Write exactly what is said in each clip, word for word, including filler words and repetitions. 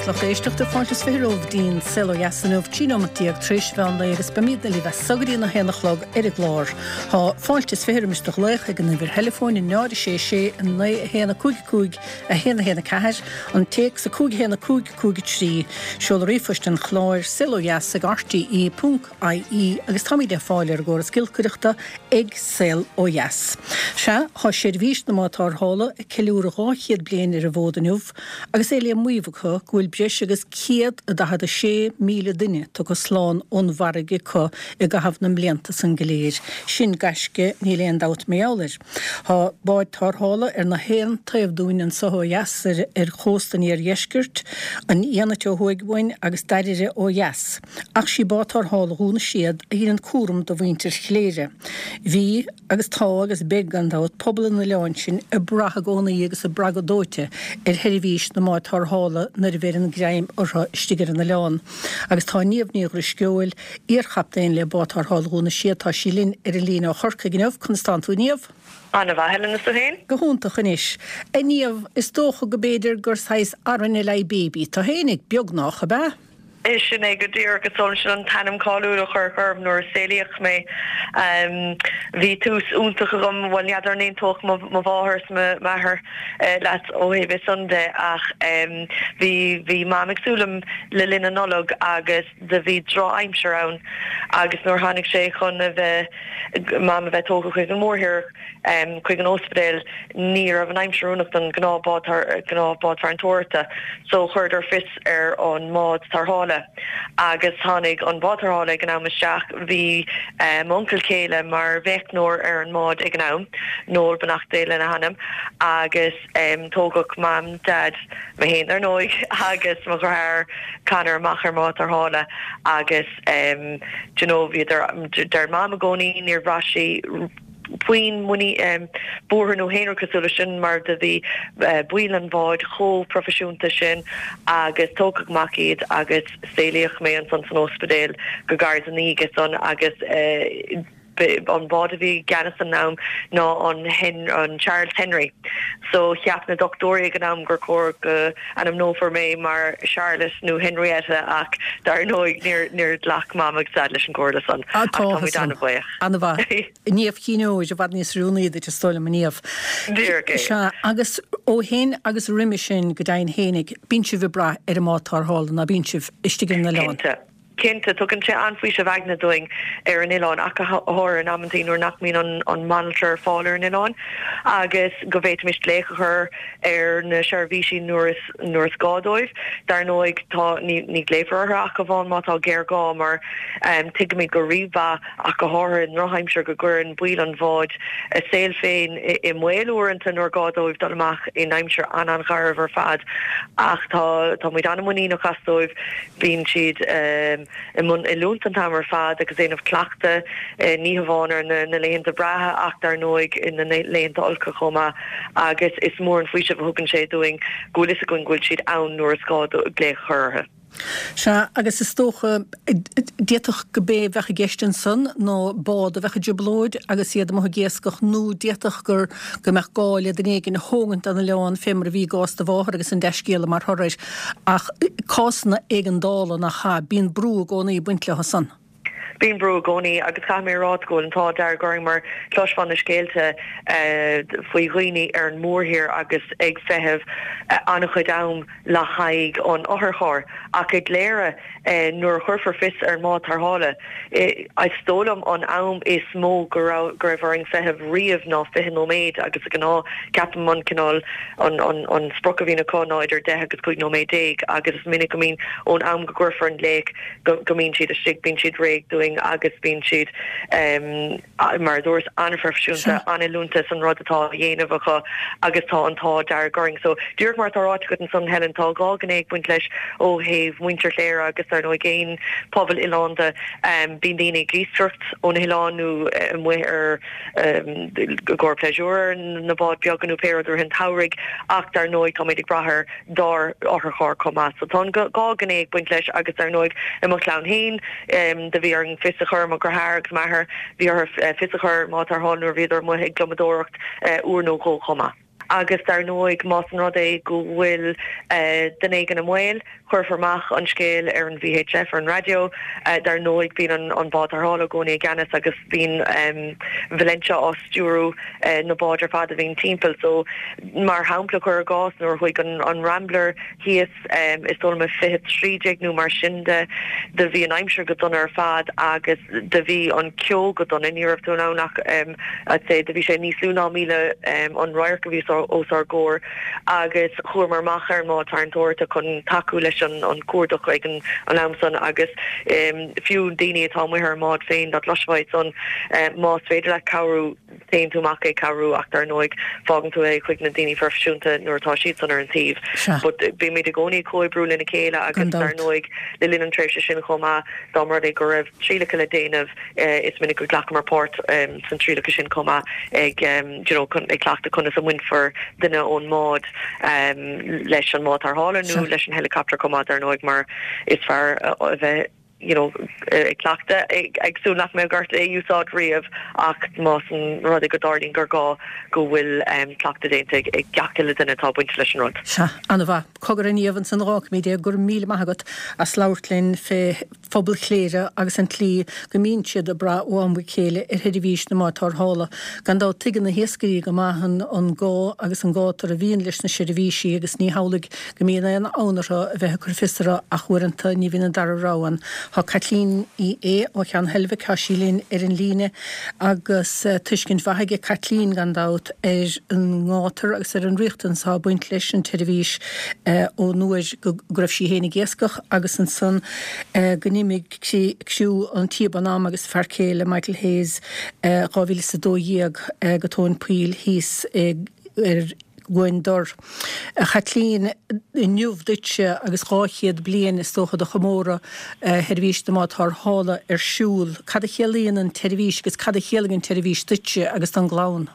Lucht éisteachta fáilte is fiche romhaibh dtí'n Saol Ó Dheas inniu trí nóiméad déag tar éis mheán lae agus beimidne libh as so go dtí a haon a chlog ar an gclár. Tá fáilte is fiche roimis do ghlaoch ag an uimhir theileafóin náid a sé sé naoi a haon a cúig cúig a haon a haon a ceathair, an téacs a cúig haon a cúig cúig a trí, seol ríomhphost an chláir saol ó dheas ag RTE ponc IE agus táimid le fáil ar an gcóras giolcaireachta ag Saol Ó Dheas. Sea, tá seirbhís na mbád tarrthála ag ceiliúradh dhá chéad bliain ar an bhfód inniu agus é le maíomh acu go bhfuil breis agus céad a daichead a sé míle duine tugtha slán ón bhfarraige acu i gcaitheamh na mblianta san go léir. Sin gaisce, níl aon dabht mar gheall air. Tá báid tarrthála ar na haon taobh dúinn anso ó dheas ar ar chósta an iardheiscirt, an Fhianait ó thuaidh uainn agus Dairbhre ó dheas. Ach sí bád tarrthála Dhún na Séad a dheineann cúram do mhuintir Chléire. Bhí, agus tá agus beidh gan dabht, pobal an oileáin sin ag brath i gcónaí agus ag brath go dóite ar sheirbhís na mbád tarrthála nuair a bheireann greim orthu istigh ar an oileán. Agus tá Niamh Ní Dhrisceoil, iarchaptaen le bád tarrthála Dhún na Séad, tá sí linn ar an líne ó Chorcaigh inniu. Conas tánn tú, Niamh? An-mhaith, Helen, is tú féin? Go hiontach anois. A Niamh, is dócha go b'fhéidir gur saghas RNLI baby tú fhéinig, beagnach, ab ea? Sin é go díreach, is dóigh liom, sin an t-ainm cáiliúil a cuireadh orm nuair a saolaíodh mé. Bhí tús iontach agam, bhuel n'fheadar an aontódh mo mháthair is m'athair leat ó thaobh é san de ach bhí bhí Mam ag súil liom le linn na Nollag agus do bhí drochaimsir ann agus nuair tháinig sé chun a bheith Mam a bheith tógtha chuig an mórthír chuig an ospidéal ní raibh an aimsir oiriúnach don gnáth gnáth bád farantóireachta so chuireadar fios ar an mbád tarrthála agus tháinig an bád tarrthála ag an am isteach. Bhí m'uncail céile mar mheicneoir ar an mbád ag an am, Noel beannacht Dé lena hanam, agus tógadh Mam, Daid, mé féin ar ndóigh, agus mo dheartháir Conor amach ar an mbád tarrthála agus do you know bhíodar, deir Mam i gcónaí níor bhraith sí puinn muinín, buartha nó aon rud cosúil leis sin mar do bhí baill an bháid chomh proifisiúnta sin agus tógadh amach iad agus saolaíodh mé ansan san ospidéal go gairid ina dhiaidh san agus an bád a bhí i gceannas an am ná an an Charles Henry so cheap na dochtúirí ag an am gur chóir go ainmneofar mé mar Charlotte nó Henrietta ach dar ndóigh níor níor ghlac Mam agus Daid leis an gcomhairle san ach táimid an-bhuíoch. An-mhaith. Niamh Chinn Óir i bhfad níos oiriúnaí duit is dóigh liom, a Niamh. Díreach é. Sea, agus ó shin agus roimhe sin go deimhin fhéinig, bíonn sibh ag brath ar an mbád tarrthála, ná bíonn sibh istigh ar an oileán? Cinnte. Cinnte, tugann sé an-fhaoiseamh aigne dúinn ar an oileán, ach go háirithe in amantaí nuair nach mbíonn an mbanaltra ar fáil ar an oileán agus go bhféadfaimis glaoch a chur ar na seirbhísí nuair is nuair is gá dóibh. Dar ndóigh, tá ní ní ghlaofar orthu ach amháin má tá géarghá mar tuigimid go rímhaith ach go háirithe i ndrochaimsir go gcuireann baill an bháid a saol féin i mbaol uaireanta nuair gá dóibh dul amach in aimsir an-an-gharbh ar fad. Ach tá tá muid an-mhuiníneach as dóibh. Bíonn siad i mbun oiliúint an t-am ar fad agus ag déanamh cleachtadh, ní hamháin ar na laethanta breátha ach dar ndóigh na laethanta olca chomh maith agus is mór an faoiseamh a thugann sé dúinn go bhfuil fhios againn go bhfuil siad ann nuair is gá glaoch a chur orthu. Sea, agus is dócha, d'fhéadfadh go b'é a bheadh i gceist ansan ná bád a bheadh i dtrioblóid agus iad amuigh ag iascach nó d'fhéadfadh gur, go mbeadh gá le duine éigin a thógaint den oileán fé mar a bhí i gcás do mháthar agus an dea-scéala mar thoradh air. Ach cásanna éigeandála nach ea, bíonn brú i gcónaí ag baint leo san. Bíonn brú i gcónaí agus caithfidh mé a rá go bhfuil an t-ádh dearg orainn mar chloisfeá na scéalta faoi dhaoine ar an mórthír agus ag feitheamh an-chuid am le haghaidh an otharchairr ach i gCléire nuair a chuirfear fios ar an mbád tarrthála is dóigh liom an am is mó go raibh go raibh orainn feitheamh riamh ná fiche nóiméad agus de ghnáth ceapaim an cineál an an an sprioc a bhíonn acu ná idir deich agus cúig nóiméad déag agus is minic go mbíonn ón am go gcuirfear an glaoch go go mbíonn siad istigh bíonn siad réidh dúinn agus bíonn siad mar a dúras, an-phroifisiúnta, an-oiliúnta san rud atá á dhéanamh acu agus tá an t-ádh dearg orainn. So, díreach mar atá ráite agat ansan, Helen, tá dhá ghné ag baint leis ó thaobh muintir Chléire agus dar ndóigh aon pobal oileánda. Bíonn daoine ag iascaireacht ó na hoileáin nó amuigh ar i gcomhair pléisiúir ar na báid beaga nó pé rud i rith an tsamhraidh ach dar ndóigh táimid ag brath ar dár otharcharr chomh maith. So tá an dhá ghné ag baint leis agus dar ndóigh i mo chlann féin do bhí orainn fios a chur, mo dheartháir agus m'athair, bhí orthu fios a chur ar an mbád tarrthála nuair a bhíodar amuigh ag gliomadóireacht uair nó dhó chomh maith. Agus dar ndóigh más an rud é go bhfuil duine éigin i mbaol, cuirfear amach an scéal ar an VHF ar an raidió. Dar ndóigh bíonn an bád tarrthála i gcónaí i gceannas agus bíonn Valentia á stiúrú na báid ar fad a bhíonn timpeall. So mar shampla cuir i gcás nuair a chuaigh an Rambler thíos is dóigh liom i fiche trí déag nó mar sin de, do bhí an aimsir go dona ar fad agus do bhí an ceo go dona, ní raibh tú in ann ach I'd say do bhí sé níos lú ná míle an radharc a bhí os ár gcomhair agus chuamar amach ar an mbád tarraingteoireachta chun tacú leis an an cuardach ag an an am san agus fiú daoine atá amuigh ar an mbád féin dá gcloisfeá iad san más féidir leat cabhrú téann tú amach ag cabhrú ach dar ndóigh fágann tú é chuig na daoine proifisiúnta nuair atá siad san ar an taobh. But bímid i gcónaí ag comhoibriú lena chéile agus dar ndóigh le linn an tréimhse sin chomh maith dá mba rud é go raibh trialacha le déanamh is minic go nglacamar páirt san trialacha sin chomh maith ag you know ag cleachtadh conas a mbainfear duine ón mbád leis an mbád tarrthála nó leis an helicopter chomh maith dar ndóigh mar is fearr a bheith you know ag cleachtadh ag súil nach mbeidh ort é a úsáid riamh ach más an rud é go dtarlaíonn gur gá go bhfuil cleachtadh déanta ag gach uile duine atá bainte leis an rud. Sea, an-mhaith. Cogar a Niamh ansan a dh'fhágfaimid é, go raibh míle maith agat as labhairt linn fé phobal Chléire agus an tslí go mbíonn siad ag brath ó am go chéile ar sheirbhís na mbád tarrthála. Gan dabht tuigeann na hiascairí go maith an gá agus an gátar a bhíonn leis na seirbhísí agus ní hamhlaidh go mbíonn aon fhonn orthu a bheith ag cur fios orthu ach uaireanta ní bhíonn an dara rogha ann. Tá Caitlín Uí Aodha ó Cheann Heilbhic, tá sí linn ar an líne agus tuiscint mhaith aige Caitlín gan dabht ar an ngátar agus ar an riachtanas atá ag baint leis an tseirbhís ón uair go raibh sí féin ag iascach agus ansan go n-imigh criú an Tíobán Am agus a fear céile Michael Hayes dhá mhíle is a dó dhéag go tóin poill thíos ar Abhainn Dor. A Chaitlín, inniu duitse agus dhá chéad bliain is dócha de chomóradh sheirbhís na mbád tarrthála ar siúl, cad a chiallaíonn an tseirbhís agus cad a chiallaigh an tseirbhís duitse agus don gclann?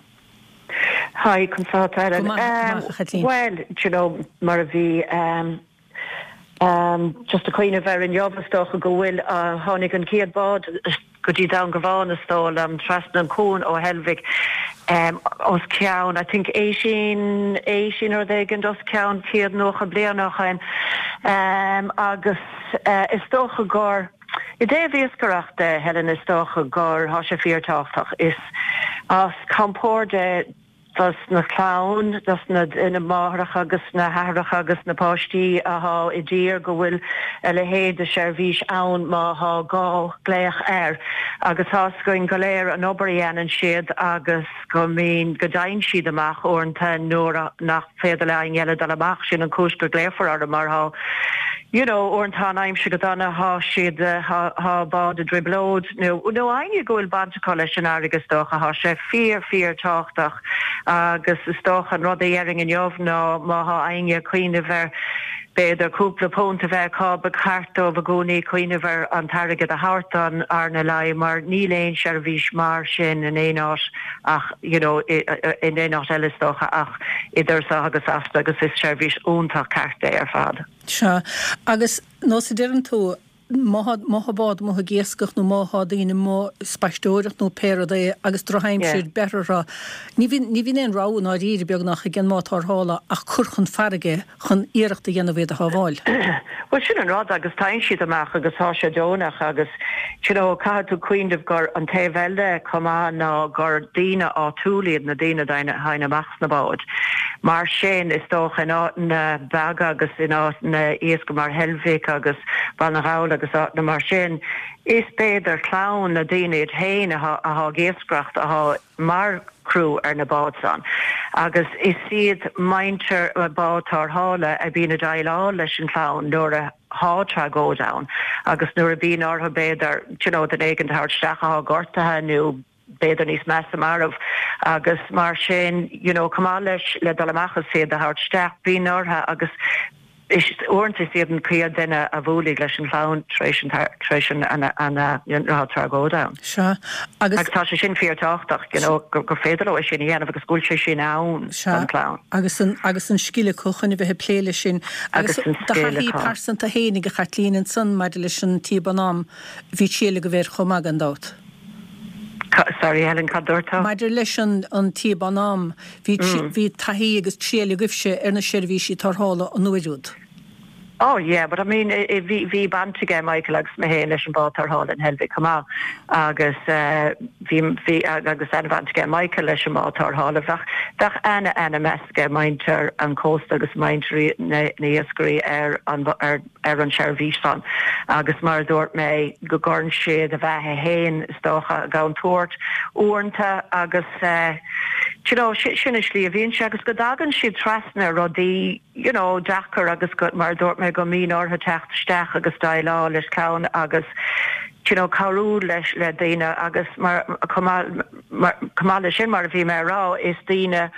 Hi, conas tá tú, Helen? Go maith, go maith, a Chaitlín. Bhuel, do you know, mar a bhí um, um, just ag cuimhneamh air inniu is dócha go bhfuil uh, tháinig an chéad bád go dtí Dún Garbhán is dóigh liom trasna an cuan ó Heilbhic um, os cionn I think eighteen eighteen rud éigin os cionn céad nócha bliain ó shin um, agus uh, is dócha gur i dtaobh iascaireachta Helen is dócha gur thá sé fíorthábhachtach is as compord dos na clann, dos na na máithreacha agus na haithreacha agus na páistí athá i dtír go bhfuil a leithéid de sheirbhís ann má thá gá glaoch air. Agus tá's againn go léir an obair a dhéanann siad agus go mbíonn go dtéann siad amach uaireanta nuair nach féidir le éinne eile dul amach, sin an chúis go glaofar orthu mar thá you know uaireanta tá an aimsir go dona thá siad thá bád i dtrioblóid nó nó éinne go bhfuil baint acu leis an fharraige is dócha thá sé fíor fíor tábhachtach agus is dócha an rud a dhéarfainn inniu ná má thá éinne ag cuimhneamh ar b'fhéidir cúpla punt a bheith acu ba cheart dóibh i gcónaí cuimhneamh ar an t-airgead a thabhairt don RNLI mar níl aon seirbhís mar sin in aon áit ach you know in aon áit eile is dócha ach idir seo agus asta agus is seirbhís iontach ceart é ar fad. Sea, agus nós a deireann tú, má thá bád amuigh ag iascach nó má thá daoine amuigh ag spaisteoireacht nó pé rud é agus drochaimsir beirthe orthu, ní bhíonn, ní bhíonn aon rogha i ndáiríre beagnach ag an mbád tarrthála ach cur chun farraige chun iarracht a dhéanamh iad a shábháil. Bhuel, sin an rud agus téann siad amach agus thá sé deonach agus, you know, caithfidh tú cuimhneamh gur an taobh eile chomh maith ná gur daoine áitiúla iad na daoine a théann amach sna báid. Mar sin, is dócha in áiteanna beaga agus in áiteanna iascaigh mar Heilbhic agus Baile na nGall agus áiteanna mar sin, is b'fhéidir clann na daoine iad féin athá ag iascaireacht athá mar chriú ar na báid san. Agus is iad muintir bád tarrthála a bhíonn ag déileáil leis an chlann nuair a thá tragóid ann agus nuair a bhíonn orthu b'fhéidir, you know, duine éigin a thabhairt isteach athá gortaithe nó b'fhéidir níos measa marbh agus mar sin you know chomh maith leis le dul amach is iad a thabhairt isteach bíonn orthu agus is uaireanta is iad an chéad duine a bhuailfidh leis an chlann tar éis an tar éis an an an an tragóid ann. Sea agus Agus tá sé sin fíorthábhachtach you know gur gur féidir leo é sin a dhéanamh agus go bhfuil sé sin ann Sea don chlann. agus an agus an scil acu chun a bheith ag plé leis sin agus Agus an do scil thaithí acu. pearsanta fhéinig a Chaitlín ansan maidir leis an Tíobán Am bhí triail agaibh air chomh maith gan dabht. Sorry Helen, cad dúirt tú? Maidir leis an an tíob an am, bhí mm. bhí taithí agus triail agaibhse ar na seirbhísí tarrthála an uair úd. Oh yeah, but I mean bhí bhí baint ag Michael agus mé féin leis an bád tarrthála in Heilbhic chomh maith agus bhí bhí agus an-bhaint ag Michael leis an mbád tarrthála bheadh bheadh ana ana meas ag muintir an cósta agus muintir na n-iascairí ar an ar ar an seirbhís san agus mar dúirt mé go gcuireann siad a bheatha féin is dócha i gcontúirt uaireanta agus uh, you know, sin an slí a bhíonn sé agus go dtagann siad trasna rudaí you know, deacair agus go mar dúirt mé go mbíonn orthu teacht isteach agus déileáil leis ceann agus you know, cabhrú leis le daoine agus mar chomh maith leis sin mar a bhí mé rá is daoine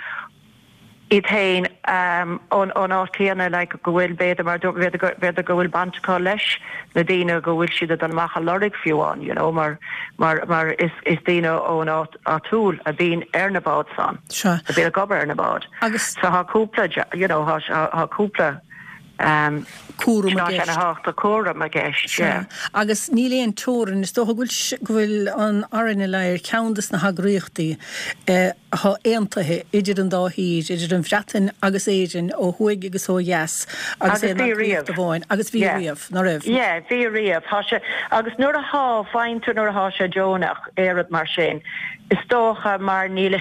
iad féin um, ón ón áit céanna like, go bhfuil b'fhéidir mar b'fhéidir go bhfuil baint acu leis na daoine go bhfuil siad dul amach a lorg fiú amháin you know, mar mar mar is is daoine ón áit áitiúil a bhíonn ar na báid san a bhíonn ag obair ar na báid. Agus so tá cúpla you know, tá cúpla um, cúram i gceist. cúram i gceist. Agus níl aon teorainn is dócha go bhfuil an RNLI ar cheann des na heagraíochtaí eh, atá aontaithe idir an dá thír, idir an Bhreatain agus Éirinn ó thuaidh agus ó dheas agus é amháin agus bhí riamh ná raibh. Yeah, bhí riamh Tá sé agus nuair atá fáinta nuair atá sé deonach éad mar sin. Is dócha mar níl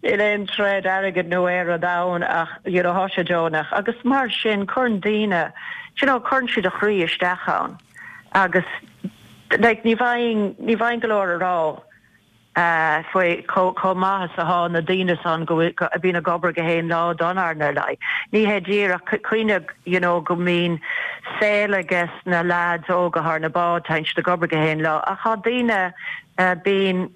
níl aon troid airgead nó aon rud ann ach you know, tá sé deonach agus mar sin cuireann daoine you know, cuireann siad a chroí isteach ann agus like, ní bheinn ní bheinn go leor a rá uh, faoi chomh maith is atá na daoine san go a bhíonn ag obair gach aon lá don RNLI. Ní hé díreach cuimhnigh you know, go mbíonn saol ages na lads óga ar na báid tá siad ag obair gach aon lá ach tá daoine uh, bíonn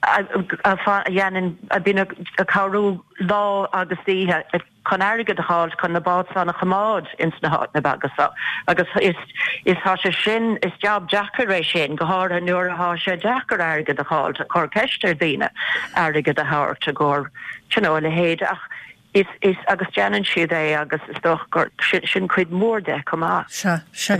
a dhéanann a bhíonn ag cabhrú lá agus oíche chun airgead a fháil chun na báid san a choimeád ins na háiteanna beaga so agus is is tá sé sin is job deacair é sin go háirithe nuair atá sé deacair airgead a fháil cur ceist ar daoine airgead a thabhairt a gur you know, a leithéid ach is is agus déanann siad é agus is dócha gur sin, sin cuid mór de chomh maith. Sea sea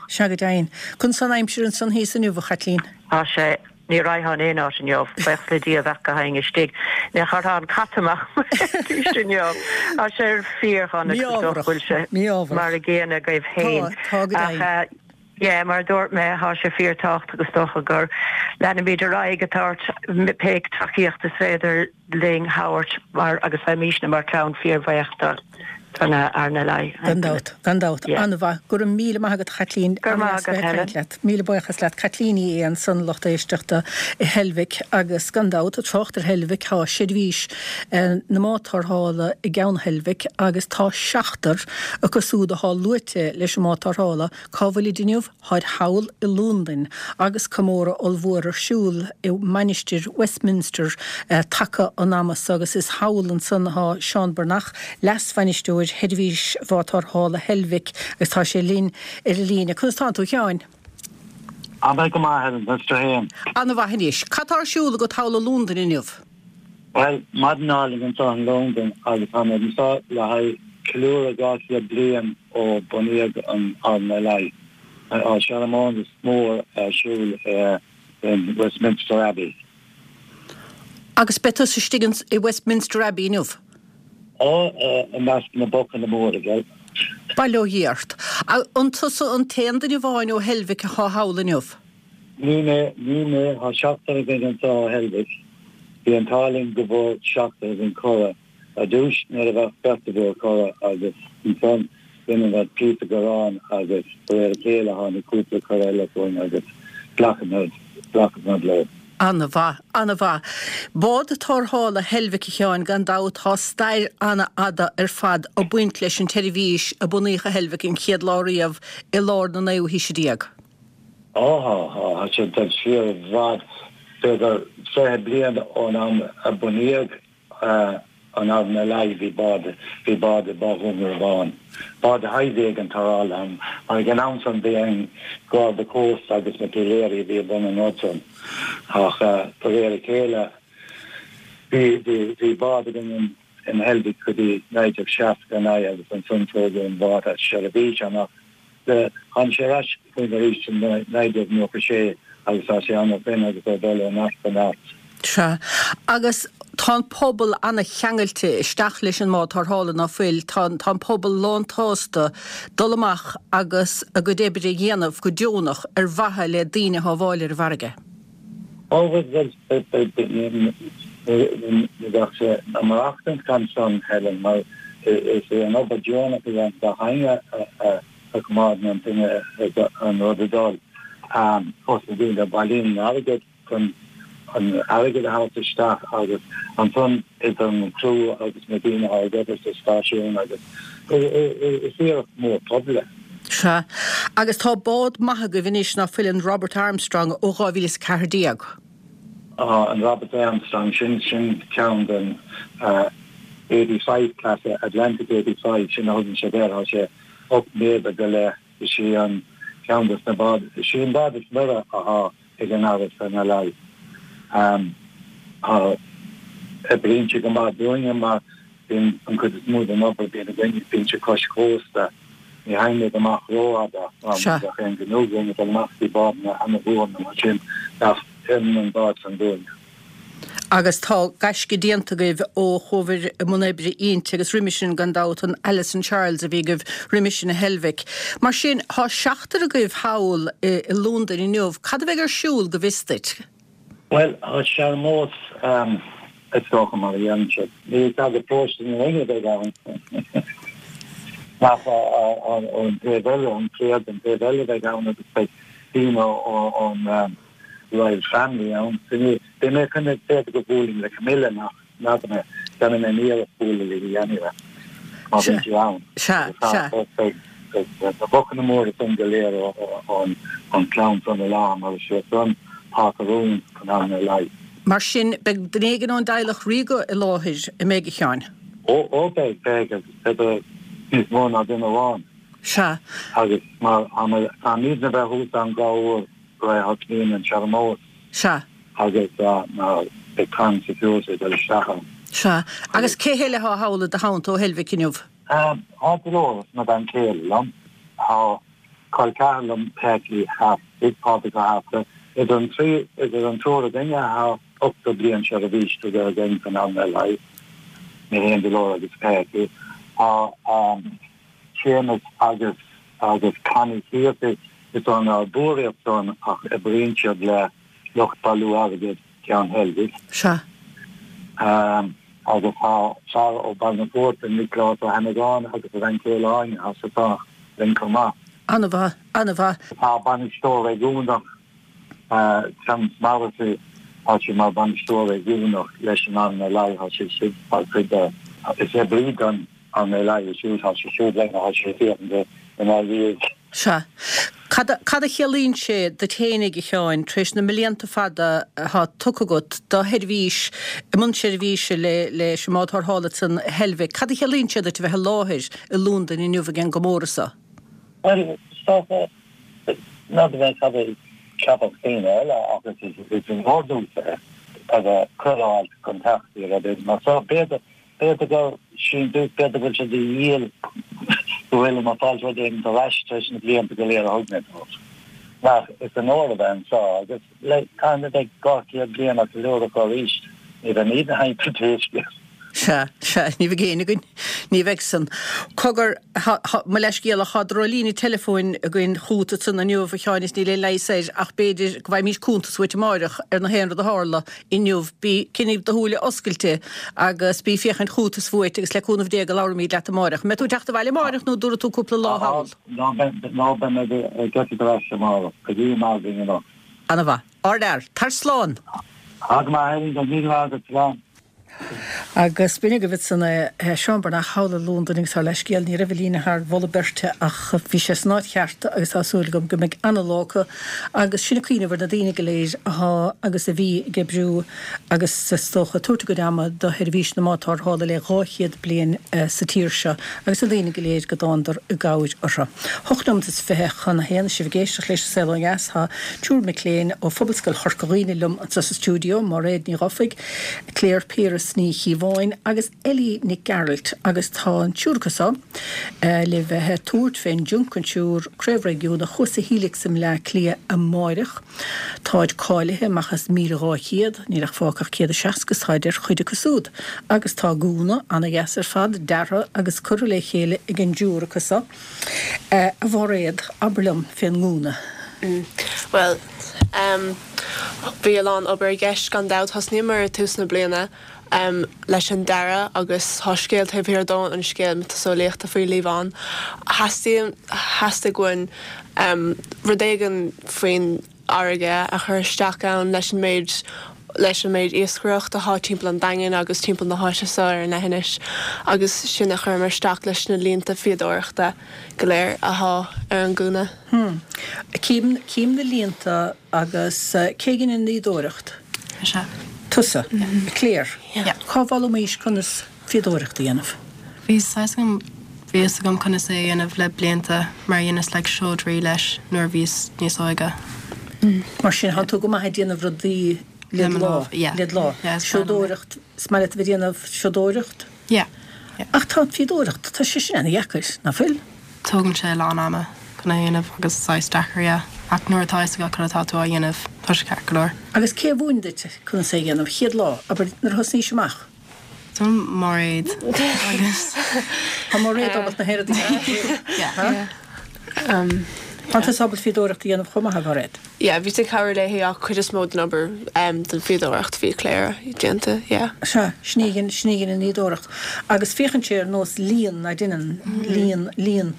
Sea go deimhin. Conas an aimsir ansan thíos inniu a Chaitlín. Tá sé Ní raghfainn aon áit inniu, buíochas le Dia bheadh go haon istigh. Ní chuirfeá an cat amach inniu. Tá sé fíordhona bhfuil sé mar an gcéanna agaibh féin. Tá Yeah, mar dúirt mé tá sé fíorthábhachtach agus dócha gur leanfaimid ar aghaidh ag tabhairt pé tacaíocht is féidir linn a thabhairt mar agus bheimísne mar clann fíorbhuíoch don RNLI. Gan dabht, gan dabht. An-mhaith. Go raibh míle maith agat a Chaitlín. Go raibh maith agat Helen. Leat. Míle buíochas leat. Caitlín Ní Aodha ansan lucht éisteachta i Heilbhic agus gan dabht ag trácht ar Heilbhic tá seirbhís na mbád tarrthála i gceann Heilbhic agus tá seachtar acu súd atá luaite leis an mbád tarrthála cá bhfuilid inniu? Táid thall i Londain agus comóradh ollmhór ar siúl i Mainistir Westminster taca an ama so agus is thall ansan atá Seán Breathnach, leas-bhainisteoir Sheirbhís Bhád Tarrthála Heilbhic agus tá sé linn ar an líne. Conas tánn tú a Sheáin? Tá mé go maith, Helen, conas tú féin? An-mhaith anois. Cad tá ar siúl agat thall i Londain inniu? Bhuel, maidin álainn anseo in Londain agus táimid anseo le haghaidh ceiliúradh dhá chéad bliain ó bunaíodh an RNLI. Tá searmanas mór ar siúl in Westminster Abbey. Agus beidh tusa istigh i Westminster Abbey inniu? Ó, i measc na bocanna móra, bhuel. Bail ó Dhia ort. An tusa an t-aon duine amháin ó Heilbhic atá thall inniu? Ní mé, ní mé, tá seachtar againn anseo ó Heilbhic. Bhí an t-ádh linn go bhfuair seachtar againn cuireadh. Ar dtús nuair a bheadh beirt a bhfuair cuireadh agus ansan rinne muid píosa gearáin agus de réir a chéile tháinig cúpla cuireadh eile chugainn agus ghlac muid leo. Ana-mhaith, ana-mhaith. Bád tarrthála Heilbhic a Sheáin, gan dabht tá stair ana-fhada ar fad ag baint leis an tseirbhís a bunaíodh i Heilbhic an chéad lá riamh i lár na naoú haoise déag. Á tá, tá, tá sé ag dul siar i bhfad, b'fhéidir fiche bliain ón am a bunaíodh an RNLI, bhí bád, bhí bád i bPá Dhún Garbhán, bád a bhí ag an tarrtháil ann, mar ag an am san bhí an Garda Cósta agus na piléirí a bhí i mbun an rud san. Ach de réir a chéile bhí, bhí, bhí bád againn in, in Heilbhic go dtí naoi déag seasca a naoi agus ansan tógadh an bád as seirbhís ann ach tháinig sé ar ais chugainn arís in naoi déag nócha sé agus tá sé ann ó shin agus é ag dul ó neart go neart. Sea. Agus tá an pobal ana-cheangailte isteach leis an mbád tarrthála, ná fuil? Tá tá an pobal lán-tsásta dul amach agus a gcuid oibre a dhéanamh go deonach ar mhaithe le daoine a shábháil ar an bhfarraige. Ó bhuel, ní bheadh sé ag maireachtaint gan san, Helen, mar is é an obair deonach a dhéanann gach éinne a choimeádann an duine an rud ag dul. Os na daoine a bhailíonn an airgead chun an airgead a thabhairt isteach agus ansan idir an criú agus na daoine atá ag obair sa stáisiún agus is iarracht mór pobail é. Sea. Agus tá bád maith agaibh anois ná fuil, an Robert Armstrong ó dhá mhíle is a ceathair déag. Tá an Robert Armstrong, sin sin ceann den eighty five class, Atlantic eighty five, sin a thugann siad air, tá sé ocht méadar go leith, is í an ceann des na báid, is í an bád is mire athá ag an RSMLI. Tá oibríonn sé go maith dúinne mar bíonn an chuid is mó den obair a bhíonn againne, bíonn sé cois cósta, ní théimid amach rófhada mar ní bheadh aon ghnó againn ag dul amach go dtí bádanna ana-mhór nó mar sin ach oireann an bád san dúinne. Agus tá gaisce déanta agaibh ó chuabhair i mbun oibre inti agus roimis sin gan dabht an Alison Charles a bhí agaibh roimis sin i Heilbhic. Mar sin, tá seachtar agaibh thall i Londain inniu. Cad a bheidh ar siúl go bhfios duit? Bhuel, tá searmanas, is dócha, mar a dhéanann siad. Ní sagart paróiste na Rinne a bheidh ann, ach ón taobh eile, an cléir den taobh eile a bheidh ann agus beidh daoine ón Royal Family ann. Beidh mé chun, b'fhéidir go mbuailfinn le Camilla nach n'fheadar mé, déanfaidh mé iarracht bualadh léi anyway, má bhíonn sí ann. Sea, sea. Beidh na bocanna móra san go léir ón chlann san i láthair mar is iad san atá ag rún an RNLI. Mar sin, beidh duine éigin ón dteaghlach ríoga i láthair, an mbeidh, a Sheáin? Ó, ó beidh, beidh, agus b'fhéidir níos mó ná duine amháin. Sea. Agus mar táimidne a bheith thuas ann dhá uair roimh a thosnaíonn an searmanas. Sea. Agus mar beidh Crown Security ag dul isteach ann. Sea. Agus cé heile atá thall i do theannta ó Heilbhic inniu? Tá Dolores, mo bhean chéile, liom. Tá col ceathar liom, Peggy Hafty, Pádraig Ó hAfta. Idir an trí, idir an triúr againne tá ochtó bliain seirbhís tugtha againn don RNLI, mé féin, Dolores agus Peggy. Tá Séamus agus agus Connie Hegarty, is ón bPiúr iad san ach oibríonn siad le lucht bailiú airgid Cheann Heilbhic. Sea. Agus tá fear ó Bhaile na Poirte, Nioclás Ó hAnnagáin agus a bhean chéile Áine, tá siad san linn chomh maith. An-mhaith, an-mhaith. Tá bainisteoir réigiúnach, Terence Morrissey, tá sé mar bhainisteoir réigiúnach leis an RNLI, tá sé siúd mar chuid de, is oibrí don RNLI é siúd, tá sé siúd linn, tá sé ag féachaint inár ndiaidh. Sea. Cad a chiallaíonn sé duit fhéinig, a Sheáin, tar éis na mblianta fada atá tugtha agat do sheirbhís, i mbun seirbhíse le leis an mbád tarrthála san Heilbhic, cad a chiallaíonn sé duit a bheith i láthair i Londain inniu ag an gcomóradh seo? Bhuel, is dócha, n'fheadar mé cad a cheapfadh daoine eile ach is onóir domhsa é a bheith cuireadh a fháil chun teacht ar rud mar seo. B'fhéidir B'fhéidir gur síntiús, b'fhéidir go bhfuil sé de dhíol go bhfuilim ag fáil rud éigin ar ais tar éis na blianta go léir a thug mé dóibh. Ach is onóir a bheith anseo agus le táimid a bheidh dhá chéad bliain á ceiliúradh acu arís, ní bheimid ag caint faoi scéal. Sea, sea, ní bheidh éinne againn, ní bheidh san. Cogar, mo leithscéal, ach tá drochlíne teileafóin againn chugat ansan inniu, a Sheáin, is níl aon leigheas air ach b'fhéidir go bhfaighimís cuntas uait amáireach ar na haon rud a tharla inniu. Bí, coinnigh do shúile oscailte agus bí ag féachaint chugat is uait agus le cúnamh Dé go labhróimid leat amáireach. An mbeidh tú ag teacht abhaile amáireach nó dtabharfaidh tú cúpla lá thall? Ná beidh mé ag eitilt ar ais amáireach. Go dtí maidin anocht. Ana-mhaith. Ardfhear. Tar slán. Tá go maith, Helen. Go raibh míle maith agat. Slán. Agus b'in agaibh ansan é, Seán Breathnach thall i Londain agus ár leithscéal, ní raibh an líne thar mholadh beirte ach bhí sé san áit cheart agus tá súil agam go mbeidh ana-lá acu agus sinn ag cuimhneamh ar na daoine go léir athá agus a bhí ag oibriú agus is dócha ag tabhairt a gcuid ama do sheirbhís na mbád tarrthála le dhá chéad bliain sa tír seo agus na daoine go léir go dtándar i gcabhair orthu. Hocht nóiméad is fiche chun a haon, is sibh ag éisteacht leis an Saol Ó Dheas, tá triúr mic léinn ó Phobalscoil Chorca Dhuibhne liom anseo sa stiúideo, Máiréad Ní Dhufaigh, Claire Piaras Ní Chíobháin. Liobháin agus Ellie Nic Gearailt agus tá an triúr acu so le bheith ag tabhairt fén Junk Kouture Craobh Réigiúnach thuas sa Helix i mBleá Cliath amáireach. Táid cáilithe amach as míle dhá chéad, níl ach fágtha ach céad is seasca is táid ar chuid acu súd. Agus tá gúna ana-dheas ar fad deartha agus curtha le chéile ag an dtriúr acu so. A Mhairéad, abair liom fén ngúna. Bhuel, bhí a lán obair i gceist gan dabht. Thosnaíomar i tús na bliana leis an dearadh agus tá scéal taobh thiar dó, an scéal miotaseolaíochta faoi Liobhán. Theastaigh, theastaigh uainn rud éigin faoin fharraige a chur isteach ann leis an méid leis an méid iascaireacht atá timpeall an Daingin agus timpeall na háite seo ar an leithinis agus sin a chuireamar isteach leis na línte fíodóireachta go léir atá ar an gúna. Hmm. Cím, cím na línte agus cé dhein an fhíodóireacht? Mise. Tusa? Claire? Yeah. Cá bhfoghlaimís conas fíodóireacht a dhéanamh? Bhí saghas agam, bhí fhios agam conas é a dhéanamh le blianta mar dheineas like seodra leis nuair a bhíos níos óige. Mar sin, tá tú go maith ag déanamh rudaí le do lámh, Yeah. le do lámh. Yeah, is maith liom é. Seodóireacht, is maith leat a bheith ag déanamh seodóireacht? Yeah. Yeah. Ach tá an fíodóireacht, tá sé sin ana-dheacair, ná fuil? Tógann sé a lán ama chun é a dhéanamh agus saghas deacair, yeah. Ach nuair atá fhios agat cad atá tú á dhéanamh, tá sé ceart go leor. Agus cé a mhúin duit conas é a dhéanamh? Chéad lá, abair, nuair a thosnaís amach? Tá Mairéad agus. Tá Mairéad ábalta na héadaí a dhéanamh. Yeah. Um, Tá tusa ábalta fíodóireacht a dhéanamh chomh maith, a Mhairéad? Yeah, bhí ag cabhrú léi ach cuid is mó den obair um, den fíodóireacht bhí Claire déanta, yeah. Sea, sin í an, sin í an fhíodóireacht. Agus féachann sé ar nós líon, ná deineann, líon, líon.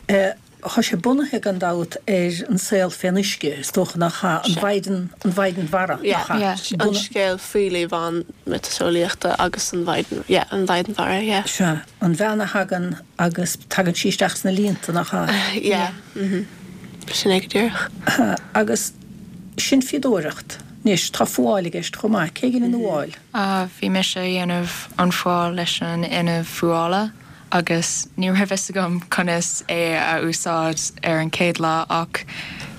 Eh, Tá sé bunaithe gan dabht ar an saol fén uisce, is dócha nach ea, an mhaighdean, an mhaighdean mhara, Yeah, nach ea? yeah. An scéal faoi Liobhán miotaseolaíochta agus an mhaighdean, yeah, an mhaighdean mhara, yeah. Sea, an bhean a thagann agus tagann sí isteach sna líonta, nach ea? Yeah, mhm. Sin é go díreach. Agus sin fíodóireacht. Anois, tá fuáil i gceist chomh maith. Cé dhein an fhuáil? Ah, bhí mise a dhéanamh an fuáil leis an inneall fuála agus ní raibh fhios agam conas é a úsáid ar an chéad lá ach